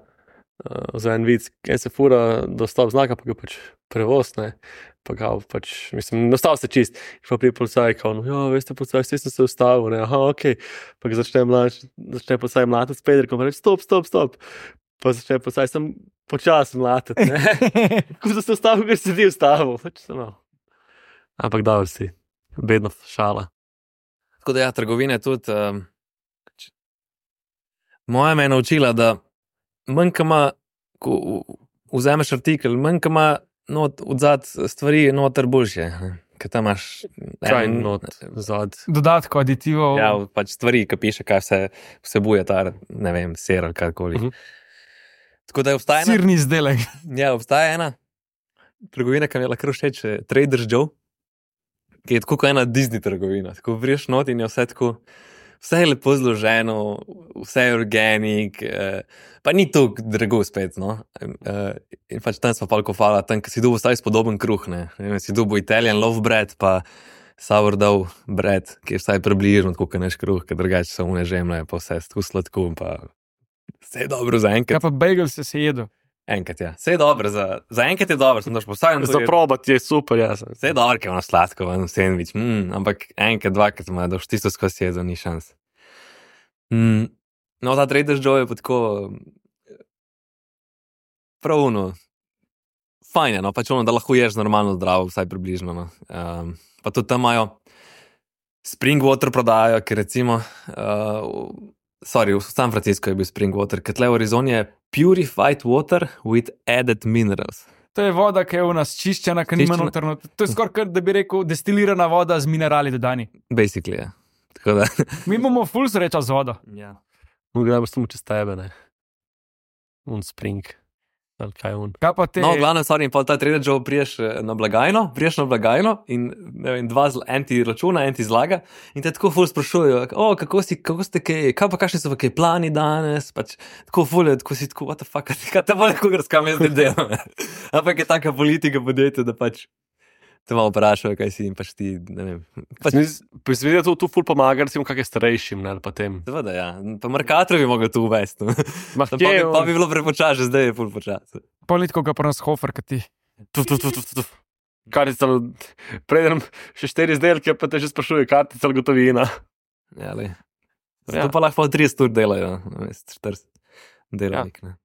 S2: uh, za en vic, en se fura do stop znaka, pa ga pač prevoz, ne, pa kao pač, mislim, nastal se čist, in pa prije policaj, kao, no, ja, veste, policaj, saj sem se ustavil, ne, aha, okej, okay. Pa ga začne mlač, začne policaj mlatiti s pederkom, pa reči, stop, stop, stop, pa začne policaj, sem počas mlatiti, ne, ko sem se ustavil, ker se ti ustavil, pač sem malo. Ampak dobro si, bedno šala.
S3: Tako da ja, trgovine tudi... Um, moja me je naučila, da manj, ko ima, ko vzameš artikel, manj, ko ima not, odzad stvari noter boljše, ker tam imaš...
S2: Kaj
S3: en-
S2: not zad?
S4: Dodatko, aditivov.
S3: Ja, pač stvari, ki piše, kaj vse vsebuje ta, ne vem, ser ali karkoli.
S2: Mhm.
S3: Tako da je obstaja ena,
S4: Sirni izdelek.
S3: ja, obstaja ena trgovina, ki mi je lahko všeč, eh, Trader Joe, ki je tako kot ena Disney trgovina. Tako vriješ not in je vse tako, vse je lepo zloženo, vse je organik, eh, pa ni to drago spet, no. Eh, in pač tam smo pa alkofala, tam, ki si dobil vsaj spodoben kruh, ne. Ne vem, si dobil Italian loaf bread, pa sourdough bread, ki je vsaj približno tako, kot naš kruh, ker drugače so une žemlje, pa vse tako sladko, pa vse je dobro za
S4: Ja,
S3: enkrat.
S4: pa bagel se se jedo.
S3: Enkrat, ja. Vse je dobro, za, za enkrat je dobro, sem daš postavljen.
S2: Za probat je super, jaz sem.
S3: Vse je dobro, ker ima sladko, en sandvič, mm, ampak enkrat, dvakrat ima, da boš tisto skozi jezo, ni šans. Mm, no, ta Trader Joe je pa tako pravno, fajn je, no, pač ono, da lahko ješ normalno zdravo, vsaj približno, no. Um, pa tudi tam imajo spring water prodajo, ker recimo, uh, sorry, v San Francisco je bil spring water, ker tle v Arizoni je purified water with added minerals.
S4: To je voda, ki je v nas čiščena, ki nima
S3: Čiščena.
S4: notrno. To je skoraj, kot da bi rekel, destilirana voda z minerali dodani.
S3: Basically, ja. Tako da,
S4: Mi imamo ful sreča z vodo.
S3: ja.
S2: No, gremo samo čez tebe, ne. Un spring. Ali kaj un.
S4: Kaj pa te?
S3: No, glavno, sorry, in pa ta Trader Joe priješ eh, na blagajno, priješ na blagajno in ne vem, dva, zl- en ti računa, en ti zlaga in te tako ful sprašujejo, o, kako si, kako ste kaj, kaj pa kakšni so pa kaj plani danes, pač tako ful je, tako si tako, what the fuck, kaj te bolj kot razkam jaz zdaj delam. Ampak je taka politika podjetja, da pač te malo vprašajo, kaj si in pač ti, ne vem. Pač,
S2: Mislim, da to tu ful pomaga, recimo, kakšnim starejšim, ne, ali pa tem.
S3: seveda, ja, pa Mercator bi mogel tu uvesti. No.
S2: Ma,
S3: Pa, bi, pa bi bilo prepočasno, zdaj je ful počasno.
S4: Politko ga pa nas hofer, kot ti.
S2: Tu, tu, tu, tu, tu. Kartica, predem še štiri izdelke, pa te že sprašuje, kartica ali gotovina.
S3: Ja, lej.
S2: Ja.
S3: Zato pa lahko trideset ur delajo, namesto štirideset delavnik, ne.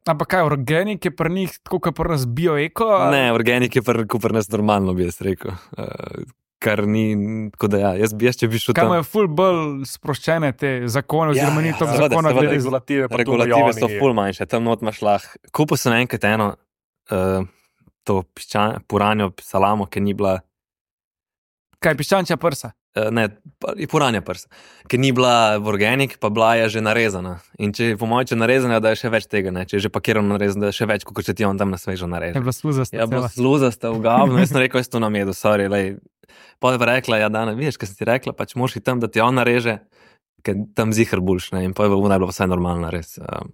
S4: Ampak kaj, organik je pri njih tako, kot pri nas bioeko?
S3: Ne, organik je pri pri nas normalno, bi jaz rekel. Uh, kar ni, tako da ja, jaz, bi- jaz če bi šel
S4: Kaj
S3: tam.
S4: imajo ful bolj sproščene te zakone,
S3: Ja,
S4: oziroma ni
S3: ja,
S4: to
S3: seveda,
S4: zakona
S3: seveda,
S4: glede
S2: Regulative, pa
S3: Regulative
S2: tu
S3: so
S2: Joni.
S3: ful manjše, tam not imaš lahko. Kupil sem enkrat eno, uh, to piščan, puranjo salamo, ki ni bila,
S4: Kaj, piščančja prsa?
S3: uh, ne, pa- je puranja prsa, ki ni bila v organik, pa bila je že narezana. In če je po mojem, če je narezana, da je še več tega, ne, če je že pakirano narezano, da je še več, kot če ti on tam na svežo
S4: Je
S3: nareže.
S4: bila sluzasta.
S3: Ja, bo sluzasta v gavno, jaz sem rekel, jaz to namedu, sorry, lej. Pa je pa rekla, ja, Dana, vidiš, kaj sem ti rekla, pač moraš iti tam, da ti on nareže, ker tam zihar boljš, ne, in pa je bilo najbolj vse normalno, res. Um,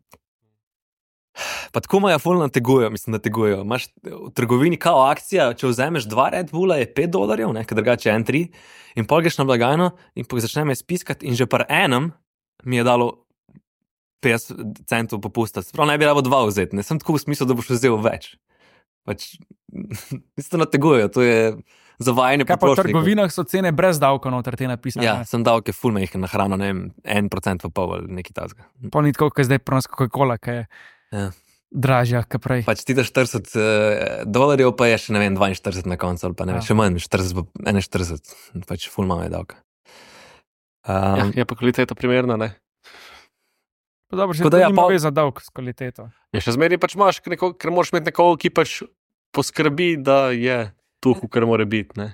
S3: pa tako maja ful nategujejo, mislim, nategujejo. Imaš v trgovini kao akcija, če vzameš dva Red Bulla, je pet dolarjev, ne, ker drugače je en tri, in pol greš na blagajno in pa začne me spiskati in že pri enem mi je dalo petdeset centov popusta. Sprav ne bi rabo dva vzeti, ne sem tako v smislu, da boš vzel več. Pač, isto nategujejo, to je zavajanje
S4: Kaj pa v
S3: potrošnikov.
S4: trgovinah so cene brez davka noter te napisane?
S3: Ja, sem dal, ki ful mehke na hrano, ne vem, en procent pa pol ali nekaj tazga.
S4: Pol ni tako, kot zdaj pri nas Coca-Cola, ki je
S3: Ja.
S4: dražja, kot prej.
S3: Pač ti daš štirideset uh, dolarjev, pa je še ne vem, dvainštirideset na koncu, ali pa ne vem,
S4: Ja.
S3: še manj, štirideset, pa enainštirideset, pač ful malo je davka.
S2: Ja,
S3: Um,
S2: je pa kvaliteta primerna, ne.
S4: Pa dobro, še
S3: Tako da
S4: to
S3: ja,
S4: nima
S3: pol-
S4: veze za davek s kvaliteto.
S2: Ja, še zmeraj pač imaš, neko, ker moraš imeti nekoga, ki pač poskrbi, da je tu, kar mora biti, ne.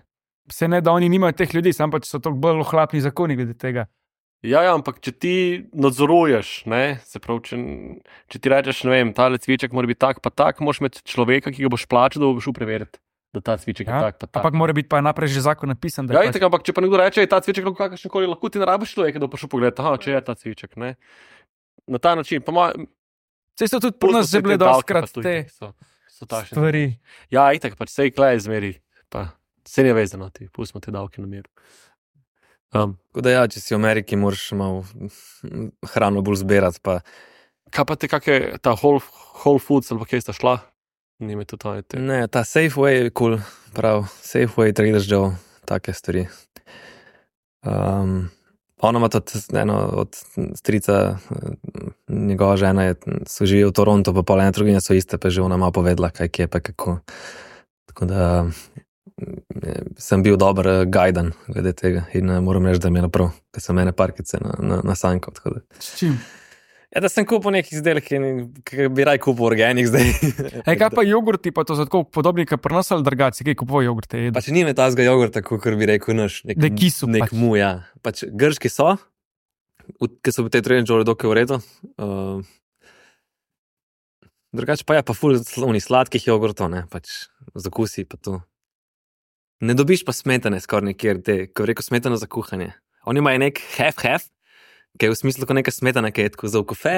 S4: Se ne, da oni nimajo teh ljudi, sam pač so to bolj ohlapni zakoni glede tega.
S2: Ja, ja, ampak če ti nadzoruješ, ne, se pravi, če, če ti rečeš, ne vem, tale cviček mora biti tak, pa tak, moraš imeti človeka, ki ga boš plačal, da bo šel preveriti, da ta cviček
S4: Ja,
S2: je tak, pa tak.
S4: Ampak mora biti pa naprej že zakon napisan. da je
S2: Ja,
S4: pač-
S2: itak, ampak če pa nekdo reče, je ta cviček lahko kakršen koli, lahko ti ne rabiš človeka, da bo šel pogledat, aha, če je ta cviček, ne. Na ta način, pa ma,
S4: Saj so tudi pri nas že bile dostkrat te
S2: so, so takšne.
S4: stvari.
S2: Ja, itak, pač sej klej zmeri, pa se ne vezano ti, pustimo te davke na miru. Um,
S3: Tako da ja, če si v Ameriki, moraš malo mm, hrano bolj zbirati, pa
S2: kaj pa te, kakšne ta Whole, Whole Foods ali pa kje sta šla? Ni me tudi to, te.
S3: ne, ta Safeway je kul, cool, prav, Safeway, Trader Joe, take stvari. Um, ona ima tudi eno od strica, eh, njegova žena je, so živi v Torontu, pa pol ene trgovine so iste, pa je že ona malo povedala, kaj kje pa kako. Tako da eh, sem bil dober eh, gajdan glede tega in eh, moram reči, da mi je naprav, ker sem ene parkice na, na, na sanko. Tako da.
S4: S čim?
S3: Ja, da sem kupil nekaj izdelkov, ki bi raj kupil organik zdaj.
S4: Ej, kaj pa jogurti, pa to so tako podobni, kot pri nas ali drugače, kaj kupujejo jogurte? jedo?
S3: Pač ni me tazga jogurta, kot bi rekel naš. Nek,
S4: Da kisu
S3: nek
S4: pač.
S3: mu, ja. Pač grški so, ki so v tej trojni žoli dokaj v redu. Uh, drugače pa je pa ful slovni sladkih jogurtov, ne, pač zakusi pa to. Ne dobiš pa smetane skoraj nikjer, te, ko rekel smetano za kuhanje. Oni imajo nek half-half, ki je v smislu kot neka smetana, ki je tako za v kofe,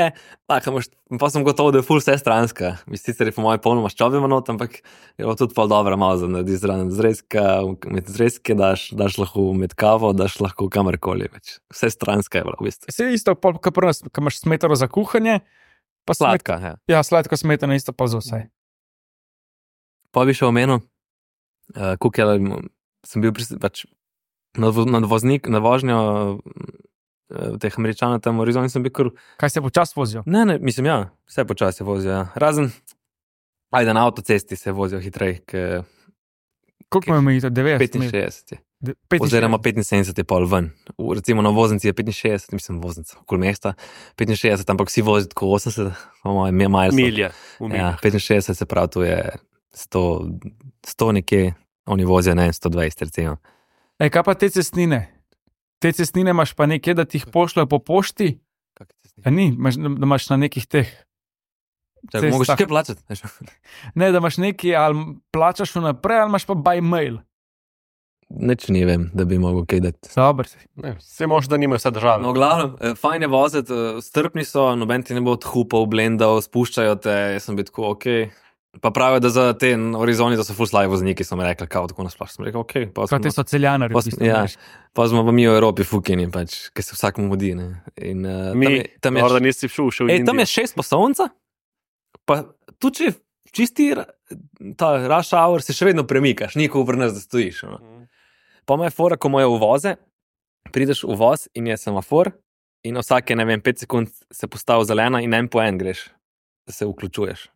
S3: pa, imaš, pa sem gotov, da je ful vse stranska. Mislim, sicer je po mojem polno maščobe manot, ampak je bilo tudi pol dobro malo za naredi zraven zrezka, med zrezke daš, daš lahko med kavo, daš lahko kamorkoli več. Vse stranska je bilo v bistvu.
S4: Vse isto, pol, kot pri nas, ko imaš smetano za kuhanje, pa smet,
S3: Sladka, ja.
S4: ja, sladko smetano isto pa za vse.
S3: Pa bi še omenil, uh, kukaj sem bil pris, pač na, vo- na, voznik, na vožnjo uh, teh Američanov tam v Arizoni sem bil kar.
S4: Kaj se počasi vozijo?
S3: Ne, ne, mislim, ja, vse počasi vozijo. Ja. Razen, ajde, na avtocesti se vozijo hitreje, ker
S4: Koliko imamo jih, devetdeset?
S3: petinšestdeset je.
S4: De- petinšestdeset.
S3: Oziroma petinsedemdeset je pol ven. V, recimo na voznici je petinšestdeset, mislim, voznica, okoli mesta, petinšestdeset, ampak vsi vozijo tako osemdeset, imamo je miles.
S2: Milje. v
S3: Ja,
S2: miljah.
S3: petinšestdeset se pravi, tu je sto, sto nekje, oni vozijo, ne, sto dvajset recimo.
S4: Ej, kaj pa te cestnine? Te cestnine imaš pa nekje, da ti jih pošljajo po pošti? A ni, imaš, da imaš na nekih teh.
S3: Čakaj, mogoče kaj plačati?
S4: Ne, da imaš neki, ali plačaš vnaprej, ali imaš pa by mail.
S3: Neč ne vem, da bi mogel kaj dati.
S4: Dobar si.
S2: Ne, vse možno, da nimajo vse države.
S3: No, glavno, eh, fajn je voziti, eh, strpni so, noben ti ne bo odhupal, blendal, spuščajo te, jaz sem bil tako, ok. Pa pravijo, da za te Arizoni, da so full slavi vozniki, so mi rekli, kao tako nasplošno. Sem rekel, ok. Pa
S4: Kaj te so celjanari?
S3: pa smo, ja, pa smo pa mi v Evropi fukini, pač, ki se vsakmu modi, ne. In, uh,
S2: Mi,
S3: tam je, tam je,
S2: morda nisi šel še v
S3: ej, tam
S2: Indijo.
S3: je šest poslovnica, pa tudi če čisti ra- ta rush hour si še vedno premikaš, ni ko obrneš, da stojiš. No. Pa ima je fora, ko imajo uvoze, prideš v voz in je semafor in na vsake, ne vem, pet sekund se postavi zelena in en po en greš, da se vključuješ.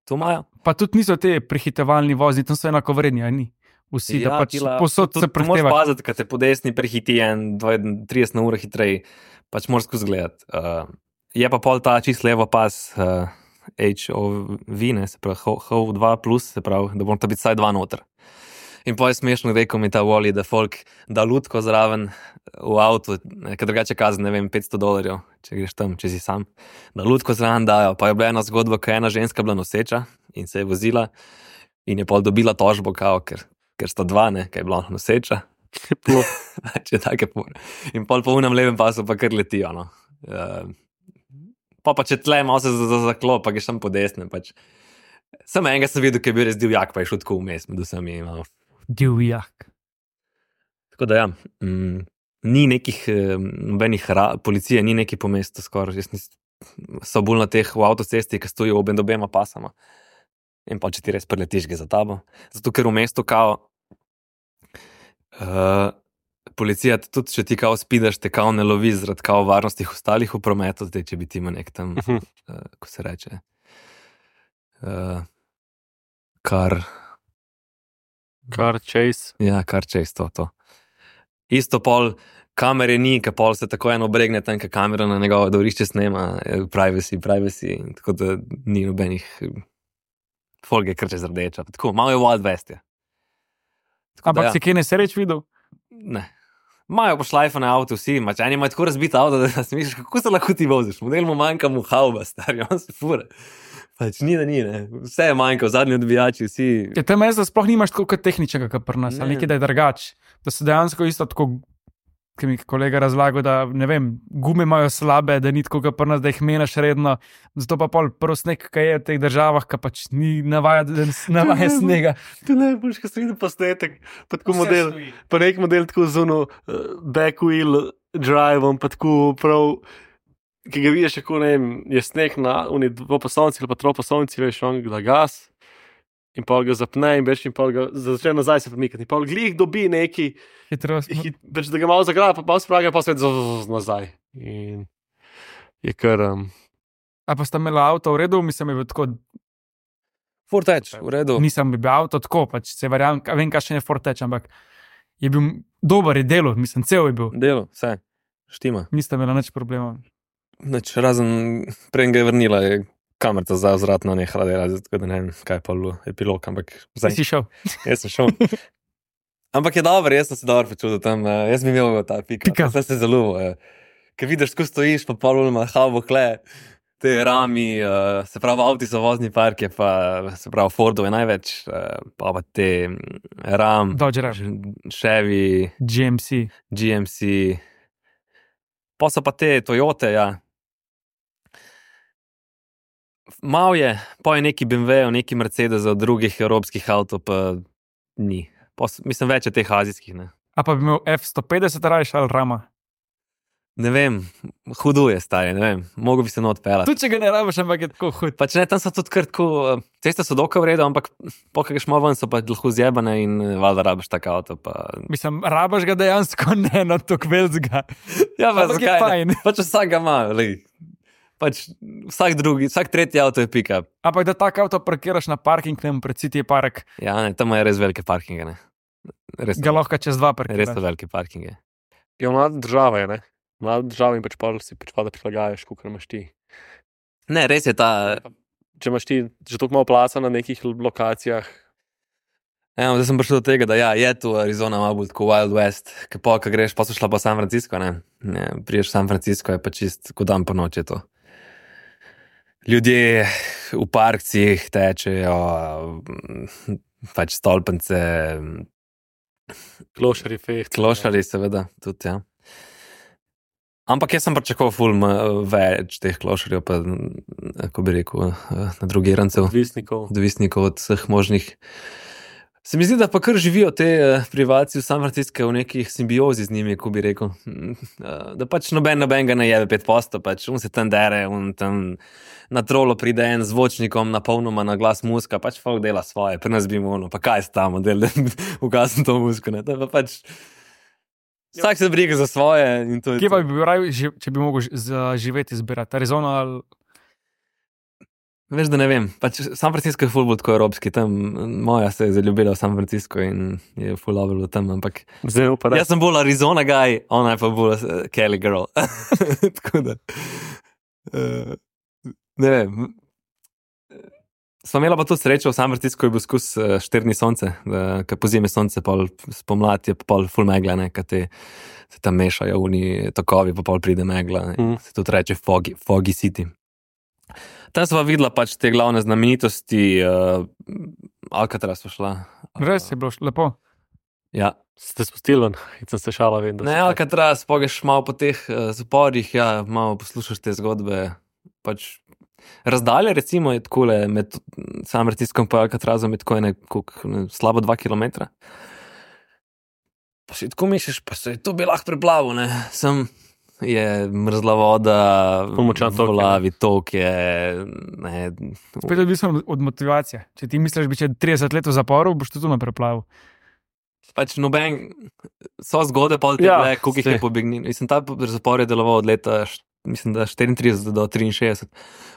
S3: To imajo.
S4: Pa tudi niso te prehitevalni vozni, tam so enako vredni, a ni? Vsi, da pač
S3: tila-
S4: posod
S3: to-
S4: se
S3: to moraš
S4: prehteva.
S3: paziti, kad te po desni prehiti en dvajset trideset na uro hitreje, pač moraš skozi gledati. Uh, je pa pol ta čist levo pas uh, H O V, ne, se pravi H O V dva plus, se pravi, da bom ta biti vsaj dva noter. In pa je smešno, rekel mi ta Wally, da folk da lutko zraven v avtu, ker drugače kazen, ne vem, petsto dolarjev, če greš tam, če si sam. Da lutko zraven dajo, pa je bila ena zgodba, ko je ena ženska bila noseča in se je vozila in je pol dobila tožbo, kao, ker, ker sta dva, ne, ker je bila noseča. Če take pore. In pol po unem levem pasu pa kar letijo, no. Uh, pa pa če tle malo se zaklop, pa greš tam po desnem, pač. Samo enega sem videl, ki je bil res divjak, pa je šel tako vmes, med vsemi malo.
S4: Divjak.
S3: Tako da ja, mm, ni nekih, eh, nobenih, ra- policije ni neki po mestu skoraj, jaz nis, so bolj na teh v avtocesti, ki stojijo ob obema pasama. In pa če ti res preletiš, gre za tabo. Zato ker v mestu kao, uh, policija tudi, če ti kao spidaš, te kao ne lovi zaradi kao varnosti ostalih v prometu, zdaj če bi ti ima nek tam, uh, ko se reče, uh, kar...
S2: Car chase.
S3: Ja, kar čez to, to. Isto pol kamere ni, ka pol se tako eno obregne tam, ka kamera na njegovo dvorišče snema, eh, privacy, privacy, in tako da ni nobenih folge kar čez rdeča. Tako, malo je Wild West, je. Tako
S4: Ampak
S3: da,
S4: si kaj nesreč videl?
S3: ne. Imajo pošlajfane avto vsi, mač eni imajo tako razbit avto, da si misliš, kako se lahko ti voziš. Model mu manjka mu hauba, stari, on se fura. Pač ni, da ni, ne. Vse je manjka, zadnji odbijači, vsi.
S4: Ja, tam jaz, da sploh nimaš tako kot tehničnega, kot pri nas,
S3: Ne.
S4: ali nekaj, da je drugač. Da se dejansko isto tako, ki mi je kolega razlagal, da ne vem, gume imajo slabe, da ni tako kot pri nas, da jih menjaš redno. Zato pa pol prvo sneg, ki je v teh državah, ki pač ni navaja, da navaja snega.
S2: To ne boš, ko si videl posnetek, pa tako model, pa nek model tako z ono uh, back wheel drive-om, pa tako prav, ki ga vidiš, kako ne vem, je sneg na uni dvopasovnici ali pa troposovnici, veš, on ga gas in pol ga zapne in veš, in pol ga začne nazaj se premikati. In pol glih dobi neki,
S4: Hitrost.
S2: hit, več, da ga malo zagraja, pa pol spraga, pa spet z- z- z- nazaj. In je kar... Um,
S4: A pa sta imela avto v redu, mislim, je bil tako,
S3: Ford Edge, v redu.
S4: nisem bil avto tako, pač se verjamem, vem, kakšen je Forteč, ampak je bil dober, je delo, mislim, cel je bil.
S3: Delo, vse, štima.
S4: Nista imela nič problemov.
S3: Nič, razen prej ga je vrnila, je kamerca za vzratno nehala delati, tako da ne vem, kaj je pa bilo epilog, ampak zdaj
S4: Si šel.
S3: jaz sem šel. Ampak je dobro, jaz sem se dobro počutil tam, uh, jaz bi imel ta pika,
S4: Pika.
S3: sem se zelo, uh, ker vidiš, ko stojiš, pa pol ima havo kle, te rami, uh, se pravi, avti so vozni park, je pa, se pravi, Fordov je največ, uh, pa pa te mm, ram,
S4: Dodge Ram.
S3: Chevy,
S4: G M C.
S3: G M C, pa so pa te Toyote, ja. Mal je, pa je neki B M W, neki Mercedes od drugih evropskih avtov, pa ni. Pa, s- mislim, več je teh azijskih, ne.
S4: A pa bi imel F sto petdeset rajš ali Rama.
S3: Ne vem, hudo je stari, ne vem, mogo bi se not pelati.
S4: Tudi če ga ne rabiš, ampak je tako hud.
S3: Pač ne, tam so tudi kar tako, eh, ceste so dokaj v redu, ampak pokaj greš malo ven, so pa lahko zjebane in eh, valjda rabiš tak avto, pa...
S4: Mislim, rabaš ga dejansko ne, no to kvelcga.
S3: Ja, pa
S4: Ampak je
S3: zakaj ne?
S4: fajn.
S3: Pač vsak ga ima, lej. Pač vsak drugi, vsak tretji avto je pick-up.
S4: Ampak da tak avto parkiraš na parking, ne vem, pred City Park,
S3: Ja, ne, tam je res velike parkinge, ne. Res,
S4: ga lahko čez dva
S3: res
S4: parkiraš.
S3: so velike parkinge.
S2: je mlada država, je, ne? Mlada država in pač pol si pač pa da prilagajaš, koliko imaš ti.
S3: Ne, res je ta,
S2: Če imaš ti že toliko malo placa na nekih lokacijah,
S3: Ja, zdaj sem prišel do tega, da ja, je tu Arizona malo bolj tako Wild West, ki pa, ko greš, pa so šla pa San Francisco, ne. ne priješ San Francisco, je pa čist kot dan po noči to. Ljudje v parkcih tečejo, pač stolpence,
S2: Klošari, feht.
S3: klošari seveda, tudi, ja. Ampak jaz sem pričakoval ful m- več teh klošarjev, pa, kako bi rekel, na drugirancev,
S2: Odvisnikov.
S3: odvisnikov od vseh možnih. Se mi zdi, da pa kar živijo te eh, prebivalci v San Francisco v nekih simbiozi z njimi, ko bi rekel. Mm, eh, Da pač noben noben ga ne jebe pet posto, pač on se tam dere, on tam na trolo pride en zvočnikom, napolnoma na glas muska, pač folk dela svoje, pri nas bi mu ono, pa kaj stamo, del, da ugasem to musko, ne, to je pa pač. Vsak se briga za svoje in to je
S4: Kje pa
S3: to.
S4: bi bil raj, ži- če bi mogel ži- za- živeti, izbirati? Arizona ali
S3: Veš, da ne vem, pač San Francisco je ful bolj tako evropski, tam moja se je zaljubila v San Francisco in je ful dobro bilo tam, ampak
S2: Zdaj pa
S3: jaz sem bolj Arizona guy, ona je pa bolj uh, Kelly girl. Tako da, uh, ne vem. Sva imela pa to srečo, v San Francisco je bil skus uh, štirni sonce, da ko pozimi sonce, pol spomladi je pa pol ful megla, ne, kad te se tam mešajo oni tokovi, pa pol pride megla, ne,
S2: Mm.
S3: se tudi reče foggy, foggy city. Tam sva videla pač te glavne znamenitosti, uh, Alcatraz sva šla.
S4: res je bilo š- lepo.
S3: Ja,
S2: ste spustili ven in sem se šala, vem, da
S3: ne,
S2: se-
S3: Alcatraz, pogeš malo po teh uh, zaporih, ja, malo poslušaš te zgodbe, pač razdalje recimo je takole med San Franciscom pa Alcatrazom je tako ene, koliko, ne, slabo dva kilometra. Pa si tako misliš, pa se je to bi lahko preplavil, ne, sem je mrzla voda,
S2: Ful močan tok je, ne.
S3: volavi tok je, ne,
S4: Spet je odvisno od- od motivacije. Če ti misliš, da bi če trideset let v zaporu, boš tudi na preplavu.
S3: pač noben, so zgode pa te
S2: Ja,
S3: bile, koliko jih je
S2: saj.
S3: pobegnil. Mislim, ta zapor je deloval od leta, št- mislim, da štiriintrideset do triinšestdeset,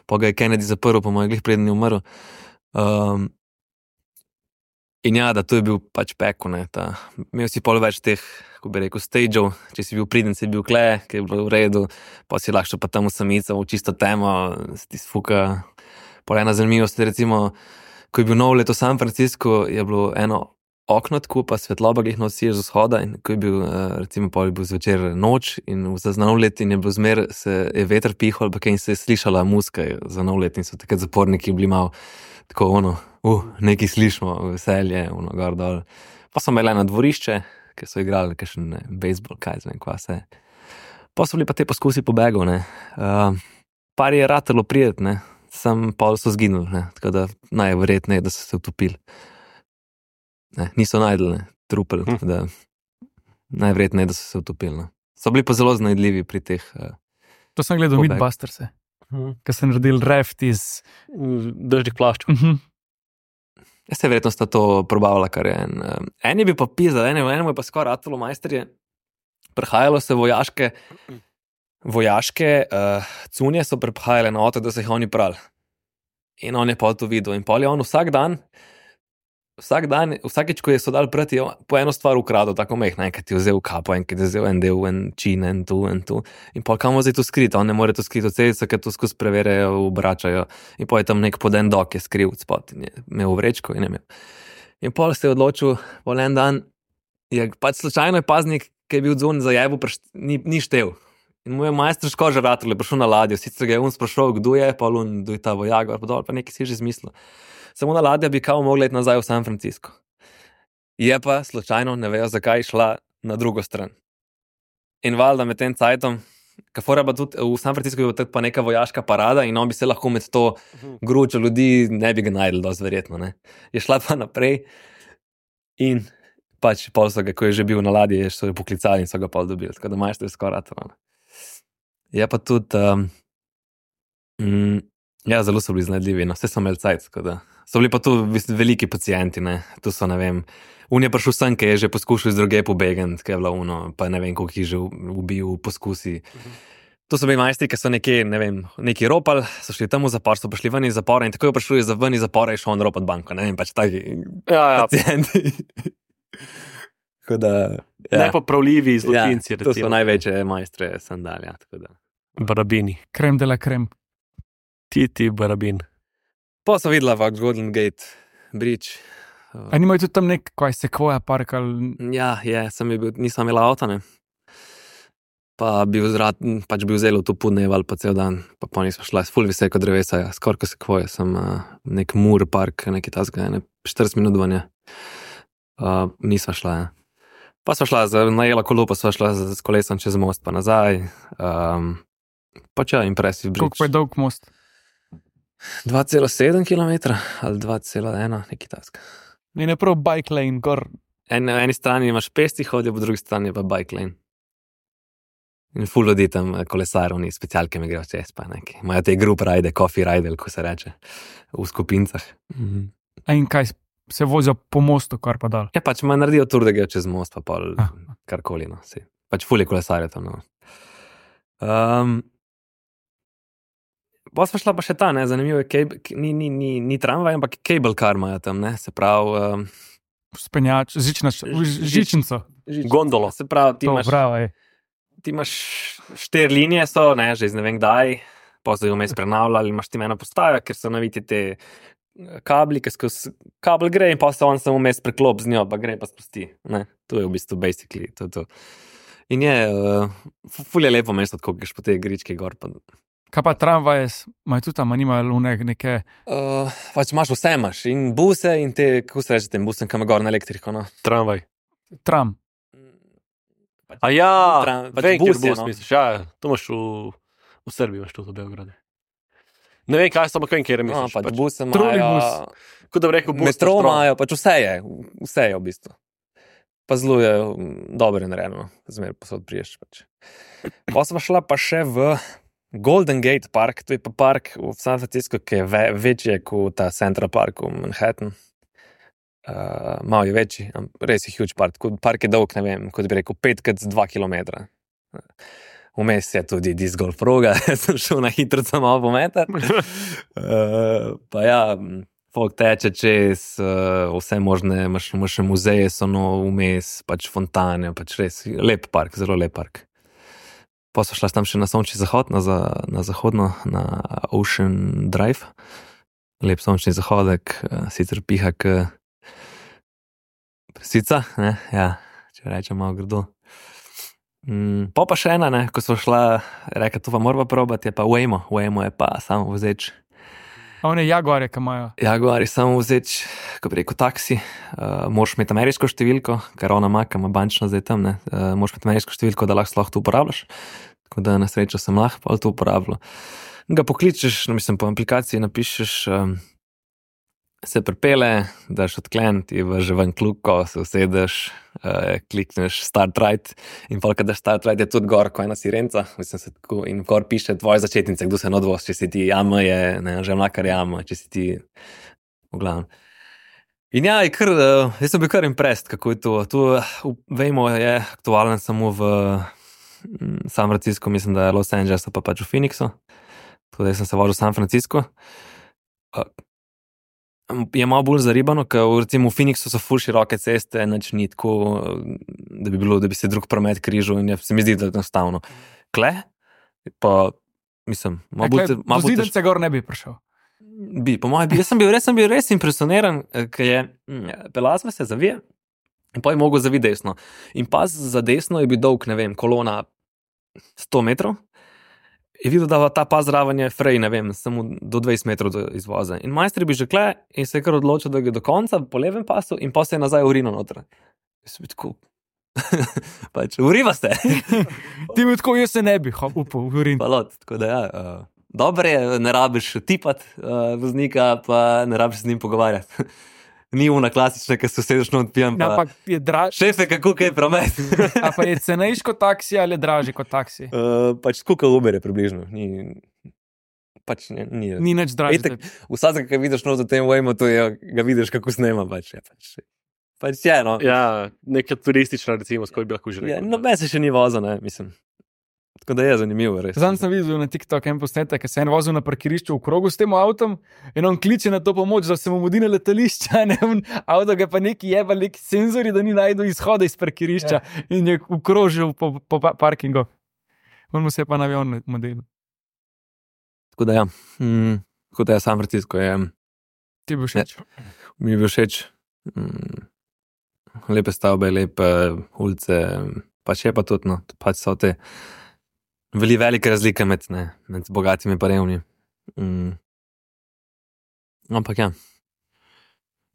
S3: pa ga je Kennedy zaprl, po mojih glih preden je umrl. Um, in ja, da to je bil pač peko, ne, ta, imel si pol več teh, ko bi rekel, stageov, če si bil priden, si bil kle, ki je bilo v redu, pa si lahko šel pa tam v samico, v čisto temo, se ti sfuka. Pol ena zanimivost, je recimo, ko je bil nov let v San Francisco, je bilo eno okno tako, pa svetloba glih nosiš z vzhoda in ko je bil, eh, recimo, pol je bil zvečer noč in za nov let in je bilo zmer, se je veter pihal, pa kaj in se je slišala muska za nov let in so takrat zaporniki bili malo tako ono, uh, nekaj slišimo, veselje, ono, gor dol. Pa so imeli na dvorišče, ki so igrali kakšen ne, bejzbol, kaj zvem, kva se. Pa so bili pa te poskusi pobegov, ne. Uh, par je ratelo prijet, ne, sam pol so zginuli, ne, tako da najverjetneje, da so se utopili. Ne, niso najdli, ne, trupel,
S2: Hm.
S3: hm. da najverjetneje, da so se utopili, ne. So bili pa zelo znajdljivi pri teh, uh,
S4: To sem gledal
S3: Pobeg.
S4: Mythbusters,
S2: Mhm.
S4: ker sem naredil raft iz.
S2: Dežnih plaščov.
S4: Mhm.
S3: jaz se verjetno sta to probavila, kar je en. Uh, en je bil pa pizza, enemu, enemu je pa skoraj ratalo majsterje. Prihajalo se vojaške, vojaške uh, cunje so prihajale na otok, da so jih oni prali. In on je pa to videl. In pol je on vsak dan, vsak dan, vsakeč, ko je so dal prati, je po eno stvar ukradel, tako mehna, enkrat je vzel kapo, enkrat je vzel en del, en čin, en tu, en tu. In pol kam zdaj to skriti, on ne more to skriti od celice, ker to skozi preverjajo, obračajo. In pol je tam nek poden dok, je skril spot in je imel v vrečko in je imel. In pol se je odločil, pol en dan, je pač slučajno je paznik, ki je bil zunaj za jebu, ni, ni štev. In mu je majster škoža ratel, je prišel na ladjo, sicer ga je on sprašal, kdo je, pa on, kdo je ta vojak, pa dol, pa nekaj si že izmislil. Samo na ladja bi kao mogla iti nazaj v San Francisco. Je pa slučajno, ne vejo zakaj, šla na drugo stran. In valjda med tem cajtom, kafora pa tudi v San Francisco je bila pa neka vojaška parada in on bi se lahko med to gručo ljudi, ne bi ga najdel, dosti verjetno, ne. Je šla pa naprej in pač pol so ga, ko je že bil na ladji, so jo poklicali in so ga pol dobili, tako da majster je skoraj ratal. Je pa tudi, um, mm, ja, zelo so bili znajdljivi, no, vse so imeli cajt, tako da. So bili pa tu v bistvu veliki pacienti, ne, tu so, ne vem, un je prišel sem, ki je že poskušal iz druge pobegati, ki je bila uno, pa ne vem, koliko jih je že ubil v poskusi. To so bili majstri, ki so nekje, ne vem, neki ropali, so šli tam v zapor, so prišli ven iz zapora in tako je prišel iz ven iz zapora in šel on ropat banko, ne vem, pač taki
S2: Ja, ja.
S3: pacienti. Tako da, ja.
S2: Nepopravljivi zločinci,
S3: Ja, to so
S2: recimo.
S3: največje majstre sandalja, tako da.
S2: Barabini.
S4: Krem de la krem.
S2: Ti, ti, barabin.
S3: Pa so videla Fox Golden Gate Bridge,
S4: A nimajo tudi tam nek, kaj Sequoia park ali...
S3: Ja, je, sem je bil, nisem imel avta, ne. Pa bi vzrat, pač bi vzel to podneval pa cel dan, pa pa nisem šla, ful visoko drevesa, ja, skoraj ko Sequoia, sem uh, nek Moor park, neki tasga, ne, štirideset minut vanje. Uh, nisem šla, ja. Pa sva šla, za, najela kolo, pa sva šla z, z kolesom čez most pa nazaj. Um, pač ja, impressive bridge.
S4: Koliko pa je dolg most?
S3: dva cela sedem kilometra ali dva cela ena, neki task.
S4: In je prav bike lane, gor.
S3: En, na eni strani imaš pesti hodijo, po drugi strani pa bike lane. In ful ljudi tam kolesarov, ni specialke mi grejo čez, pa neki. Imajo te group ride, coffee ride, ko se reče, v skupincah. Mhm.
S4: A in kaj, se vozijo po mostu, kar pa dal?
S3: Ja, pač ima naredijo tur, da grejo čez most, pa pol
S4: Ah.
S3: karkoli, no, si. Pač ful je kolesarje tam, no. Um, pa smo šla pa še ta, ne, zanimivo je, cable, ni, ni, ni, ni tramvaj, ampak cable car imajo tam, ne, se pravi... Um,
S4: Spenjač, žična,
S3: Žič-
S4: žičnico.
S3: žič-
S2: Gondolo.
S3: Se pravi, ti
S4: To,
S3: imaš...
S4: bravo, je.
S3: Ti imaš štiri linije, so, ne, že iz ne vem kdaj, pa so jo vmes prenavljali, imaš ti eno postajo, ker so naviti te kabli, ki skozi kabel gre in pa se on samo vmes preklop z njo, pa gre pa spusti. Ne, to je v bistvu basically to, to. In je, uh, ful je lepo mesto, tako greš po te gričke gor. Pa,
S4: Kaj pa tramvaje, imajo tudi tam, a nimajo nek, neke...
S3: uh, pač imaš vse, imaš in buse in te, kako se reče tem busem, kam je gor na elektriko, no.
S2: Tramvaj.
S4: Tram.
S2: A ja,
S3: Tram- pač
S2: vem,
S3: bus
S2: kjer
S3: je,
S2: bus
S3: no.
S2: misliš, ja, to imaš v, v Srbiji, imaš to v Beogradu. Ne vem, kaj samo vem, kjer
S3: No,
S2: misliš.
S3: pač
S2: pač,
S3: buse
S4: trolejbus.
S3: imajo,
S2: kot da bi rekel bus.
S3: metro
S2: metro.
S3: imajo, pač vse je, vse je v bistvu. Pa zelo je mm, dobro narejeno, zmer posod priješ. Pač. Pa sva šla pa še v Golden Gate Park, to je pa park v San Francisco, ki je ve, večji kot ta Central Park v Manhattan. Uh, malo je večji, am- res je huge park, tako park je dolg, ne vem, kot bi rekel, pet krat dva kilometra. Vmes je tudi disc golf proga, sem šel na hitro samo pometar. Uh, pa ja, m, folk teče čez, uh, vse možne, imaš, imaš še muzeje, so no vmes, pač fontane, pač res lep park, zelo lep park. Pa so šla tam še na sončni zahod, na, za, na zahodno, na Ocean Drive. Lep sončni zahodek, uh, sicer piha k presica, ne, ja, če rečem malo grdo. Mm, pa pa še ena, ne, ko smo šla, reka, to pa moramo probati, je pa Waymo, Waymo je pa samo vozeč.
S4: A one Jaguare, ki imajo.
S3: Jaguar je samo vozeč, ko bi rekel taksi, uh, moraš imeti ameriško številko, ker ona ima, ki ima bančno zdaj tam, ne, uh, moraš imeti ameriško številko, da lahko sploh to uporabljaš, tako da na srečo sem lahko pa to uporabljal. Ga pokličeš, no, mislim, po aplikaciji napišeš, um, se pripele, daš odklen, ti že ven kljuko, se usedeš, uh, klikneš start right in pa kad daš start right je tudi gor, ko ena sirenca, mislim se tako, in gor piše tvoje začetnice, kdo se odvoz, če si ti jama je, ne, že mlakar jama, če si ti, v glavnem. In ja, je kar, uh, jaz sem bil kar impressed, kako je to, to uh, vemo, je aktualen samo v mm, San Francisco, mislim, da je Los Angeles, pa pač v Phoenixu, tako da jaz sem se vozil v San Francisco. Uh, Je malo bolj zaribano, ker recimo v Phoenixu so ful široke ceste, nič ni tako, da bi bilo, da bi se drug promet križal in je, se mi zdi, da je enostavno. Kle, pa mislim, malo bolj... te- malo bolj tež-
S4: Vozidence gor ne bi prišel.
S3: Bi, po mojem, bi, jaz sem bil res, sem bil res impresioniran, eh, ker je, mm, pelala sva se zavije in pa je mogel zaviti desno. In pas za desno je bil dolg, ne vem, kolona sto metrov. Je videl, da ta pas zraven je frej, ne vem, samo do dvajset metrov do izvoza. In majster bi že kle in se je kar odločil, da gre do konca po levem pasu in pa se je nazaj urino noter. Jaz sem bil tako, pač, uriva ste.
S4: Ti bi tako, jaz se ne bi hop, upal, urin.
S3: Pa lot, tako da ja, uh, dobro je, ne rabiš tipat uh, voznika, pa ne rabiš z njim pogovarjati. Ni una klasična, ki se usedeš not pijan, pa
S4: Ampak je draž,
S3: šefe, kako kaj promet.
S4: a pa je cenejši kot taksi ali je dražji kot taksi?
S3: uh, pač skuka Uber je približno, ni, pač ne, ni.
S4: Ni nič dražji.
S3: Itak, vsakega, ki vidiš not v tem Waymo, to je, ga vidiš, kako snema, pač je, pač, pač je, no.
S2: Ja, neka turistična, recimo, skoro bi lahko že rekel.
S3: Ja, no, me se še ni vozil, ne, mislim. Tako da je zanimivo, res.
S4: Zdaj sem videl na TikTok en posnetek, ki se je en vozil na parkirišču v krogu s tem avtom in on kliče na to pomoč, da se mu mudi na letališča, ne, on, avto ga pa neki jeba, neki senzori, da ni najdel izhoda iz parkirišča ja. In je ukrožil po, po pa- parkingu. On mu se je pa na avion model.
S3: Tako da ja, mm, tako da je San Francisco, je,
S4: Ti bi všeč.
S3: mi je bil všeč. Mm, lepe stavbe, lepe ulice, pač je pa tudi, no, pač so te veli velike razlike med, ne, med bogatimi pa revni. Mm. Ampak ja,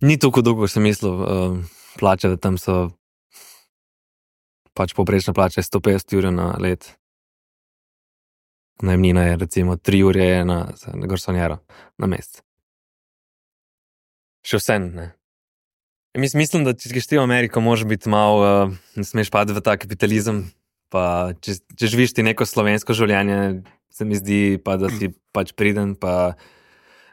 S3: ni toliko dolgo, kot sem mislil, uh, plače, da tam so pač povprečna plača je sto petdeset jurjev na let. Najemnina je recimo tri jurje na, na garsonjero na mesec. Še vse, ne. Mis, mislim, da če greš ti v Ameriko, moraš biti malo, uh, ne smeš padati v ta kapitalizem, pa če, če živiš ti neko slovensko življenje, se mi zdi, pa da si pač priden, pa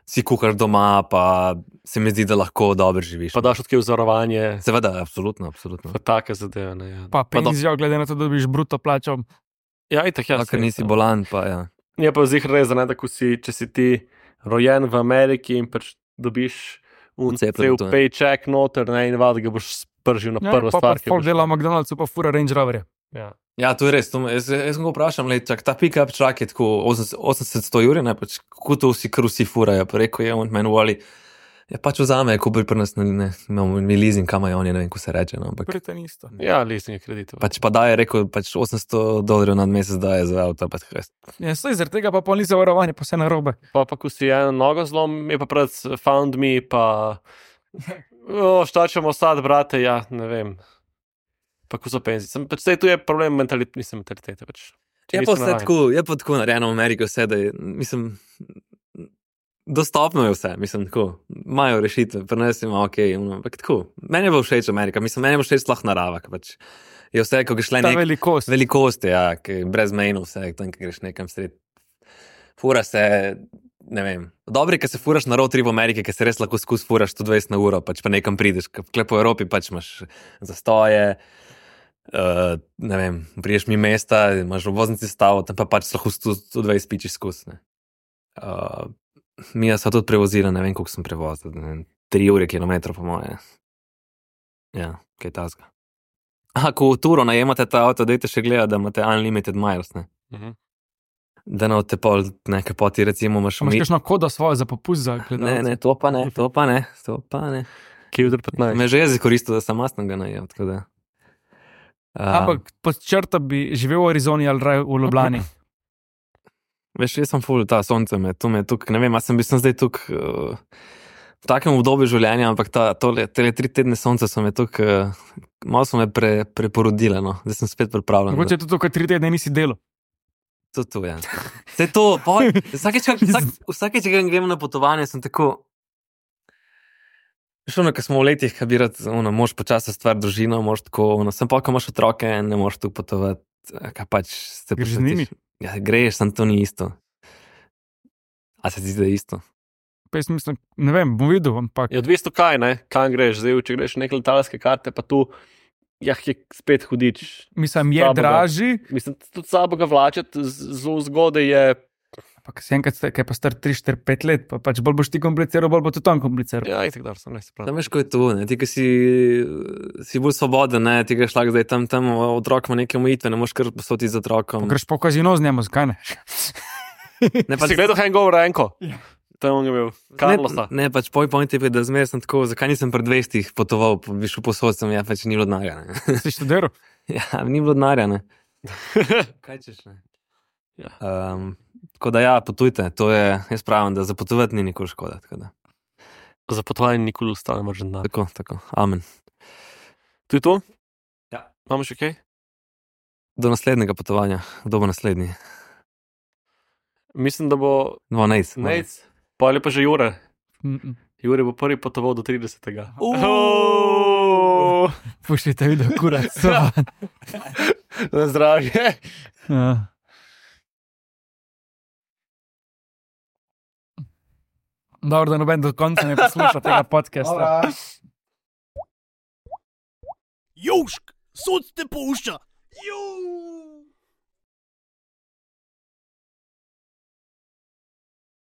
S3: si kuhar doma, pa se mi zdi, da lahko dobro živiš.
S2: Pa daš odkje vzorovanje.
S3: Seveda, absolutno, absolutno.
S2: Pa take zadeve, ne. Ja.
S4: Pa
S2: Pa do-
S4: penzijo, glede na to, da dobiš bruto plačo.
S2: Ja, itak, ja.
S3: Ja, ker
S2: saj,
S3: nisi
S2: ja.
S3: bolan, pa ja.
S2: Je pa zihar res, da ne, da ko si, če si ti rojen v Ameriki in pač dobiš un
S3: Vcepljen
S2: cel
S3: v to, ne.
S2: paycheck noter, ne, in vad ga boš spržil na prvo
S4: pa
S2: stvar,
S4: pa folk dela v McDonald'su, pa fura Range Roverje.
S2: Ja.
S3: Ja, to je res. To, me- jaz, jaz sem ga vprašal, le, čak, ta pick-up truck je tako osemdeset sto jurjev, ne, pač, kako to vsi kar vsi furajo, pa rekel je, on meni voli, ja, pač vzame, ko bi pri nas, ne, ne, imamo mi leasing, kam je on, ne vem, ko se reče, no, ampak
S4: Prite isto.
S2: Ja, leasing kreditov.
S3: pač pa daje, rekel, pač osemsto dolarjev na mesec daje za avto, pač res.
S4: Ja, saj zaradi tega pa pol ni zavarovanje, pa vse narobe.
S2: Pa pa ko si eno nogo zlom, je pa pred found me, pa o, šta ćemo sad, brate, ja, ne vem. Pa ko so penzije. Sem, pač sej tu je problem mentalitete, mislim mentalitete, pač. Če
S3: Je
S2: nisi
S3: pa vse
S2: navajen.
S3: tako, je pa tako narejeno v Ameriki vse, da je, mislim, dostopno je vse, mislim, tako, imajo rešitve, pri nas ima ok, no, ampak tako, meni je bilo všeč Amerika, mislim, meni je bilo všeč sploh narava, ker pač je vse, ko greš le
S4: Ta
S3: nek,
S4: velikost.
S3: velikost, ja, ki je brez mejno vse, tam, ko greš nekam sred, fura se, ne vem, dobro je, ko se furaš na road trip v Ameriki, ker se res lahko skus furaš sto dvajset na uro, pač pa nekam prideš, ker po Evropi pač imaš zastoje, Uh, ne vem, priješ mi mesta, imaš v voznici stavo, tam pa pač lahko sto dvajset pičiš skus. Uh, mi smo tudi prevozili, ne vem, koliko sem prevozil, ne vem, tri ure kilometrov po moje. Ja, kaj tazga. Aha, ko v turo najemate ta avto, dajte še gledati, da imate unlimited miles, ne.
S2: Mhm.
S3: Da ne te pol nekaj poti, recimo, imaš
S4: Imaš
S3: mi...
S4: kakšno kodo svojo za popust za gledalce?
S3: Ne, ne, to pa ne, to pa ne, to pa ne.
S2: Kje je petnajst?
S3: Me že jezik koristil, da sem masnega najem, tako da. Uh,
S4: Ampak pod črto bi živel v Arizoni ali raje v Ljubljani.
S3: Veš, jaz sem ful, ta sonce me, tu me tukaj, ne vem, jaz sem bil sem zdaj tukaj uh, v takem obdobju življenja, ampak ta, tole, tele tri tedne sonce so me tukaj, uh, malo so me pre, preporodile, no, da sem spet pripravljen.
S4: Mogoče tudi tukaj tri tedne nisi delal.
S3: To, to, ja. Vse to, poj, vsakeč, vsak, vsakeč, ko grem na potovanje, sem tako, veš, ono, ko smo v letih, ko bi rad, ono, moš počasi stvar družino, moš tako, ono, sem pa, ko imaš otroke, ne moš tu potovati, kaj pač se
S4: Greš z
S3: počutiš.
S4: njimi?
S3: Ja, greš, sem to ni isto. A se ti zdi, da je isto?
S4: Pa jaz mislim, ne vem, bom videl, ampak
S2: Je odvisno kaj, ne, kam greš, zdaj, če greš neke letalske karte, pa tu, jah, je spet hudič.
S4: mislim, je
S2: Slabo ga.
S4: dražji.
S2: Mislim, tudi sabo ga vlačeti, zelo zgodaj je,
S4: Ampak si enkrat, ste- kaj pa star tri, štiri, pet let, pa pač bolj boš ti kompliciral, bolj bo tudi on kompliciral.
S2: ja, itak dar sem, ne se pravi.
S3: Tam veš, ko je to, ne? Ti, ki si, si bolj svoboden, ne? Ti greš lahko zdaj tam, tam otrok ima neke omejitve, ne moreš kar posoti z otrokom.
S4: Greš po kazino z njemu, zakaj ne?
S3: Ne,
S2: Si gledal Hangover enko?
S4: Ja.
S2: Tam on je bil, Carlosa.
S3: Ne, ne, pač poj point je, da zmeraj sem tako, zakaj nisem pred dvestih potoval, pa bi šel posod, sem, ja, pač ni bilo denarja, ne.
S4: Si študiral?
S3: Ja, ni bilo denarja, ne. Kaj češ, ne?
S2: Ja.
S3: Um, tako da ja, potujte, to je, jaz pravim, da za potovati ni nikoli škoda, tako da.
S2: Za potovanje nikoli ostane mržen dan.
S3: Tako, tako, amen.
S2: To je to?
S3: Ja.
S2: Imamo še kaj?
S3: Do naslednjega potovanja, kdo bo naslednji?
S2: Mislim, da bo
S3: No, Nejc.
S2: Nejc, pa ali pa že Jure.
S4: Mm, mm.
S2: Jure bo prvi potoval do tridesetega.
S3: Uuuu.
S4: Puščite video, kurac.
S2: Na zdravje.
S4: Ja. Dobro, da noben do konca ne posluša tega podcasta.
S1: Južk, sod te pušča. Južk.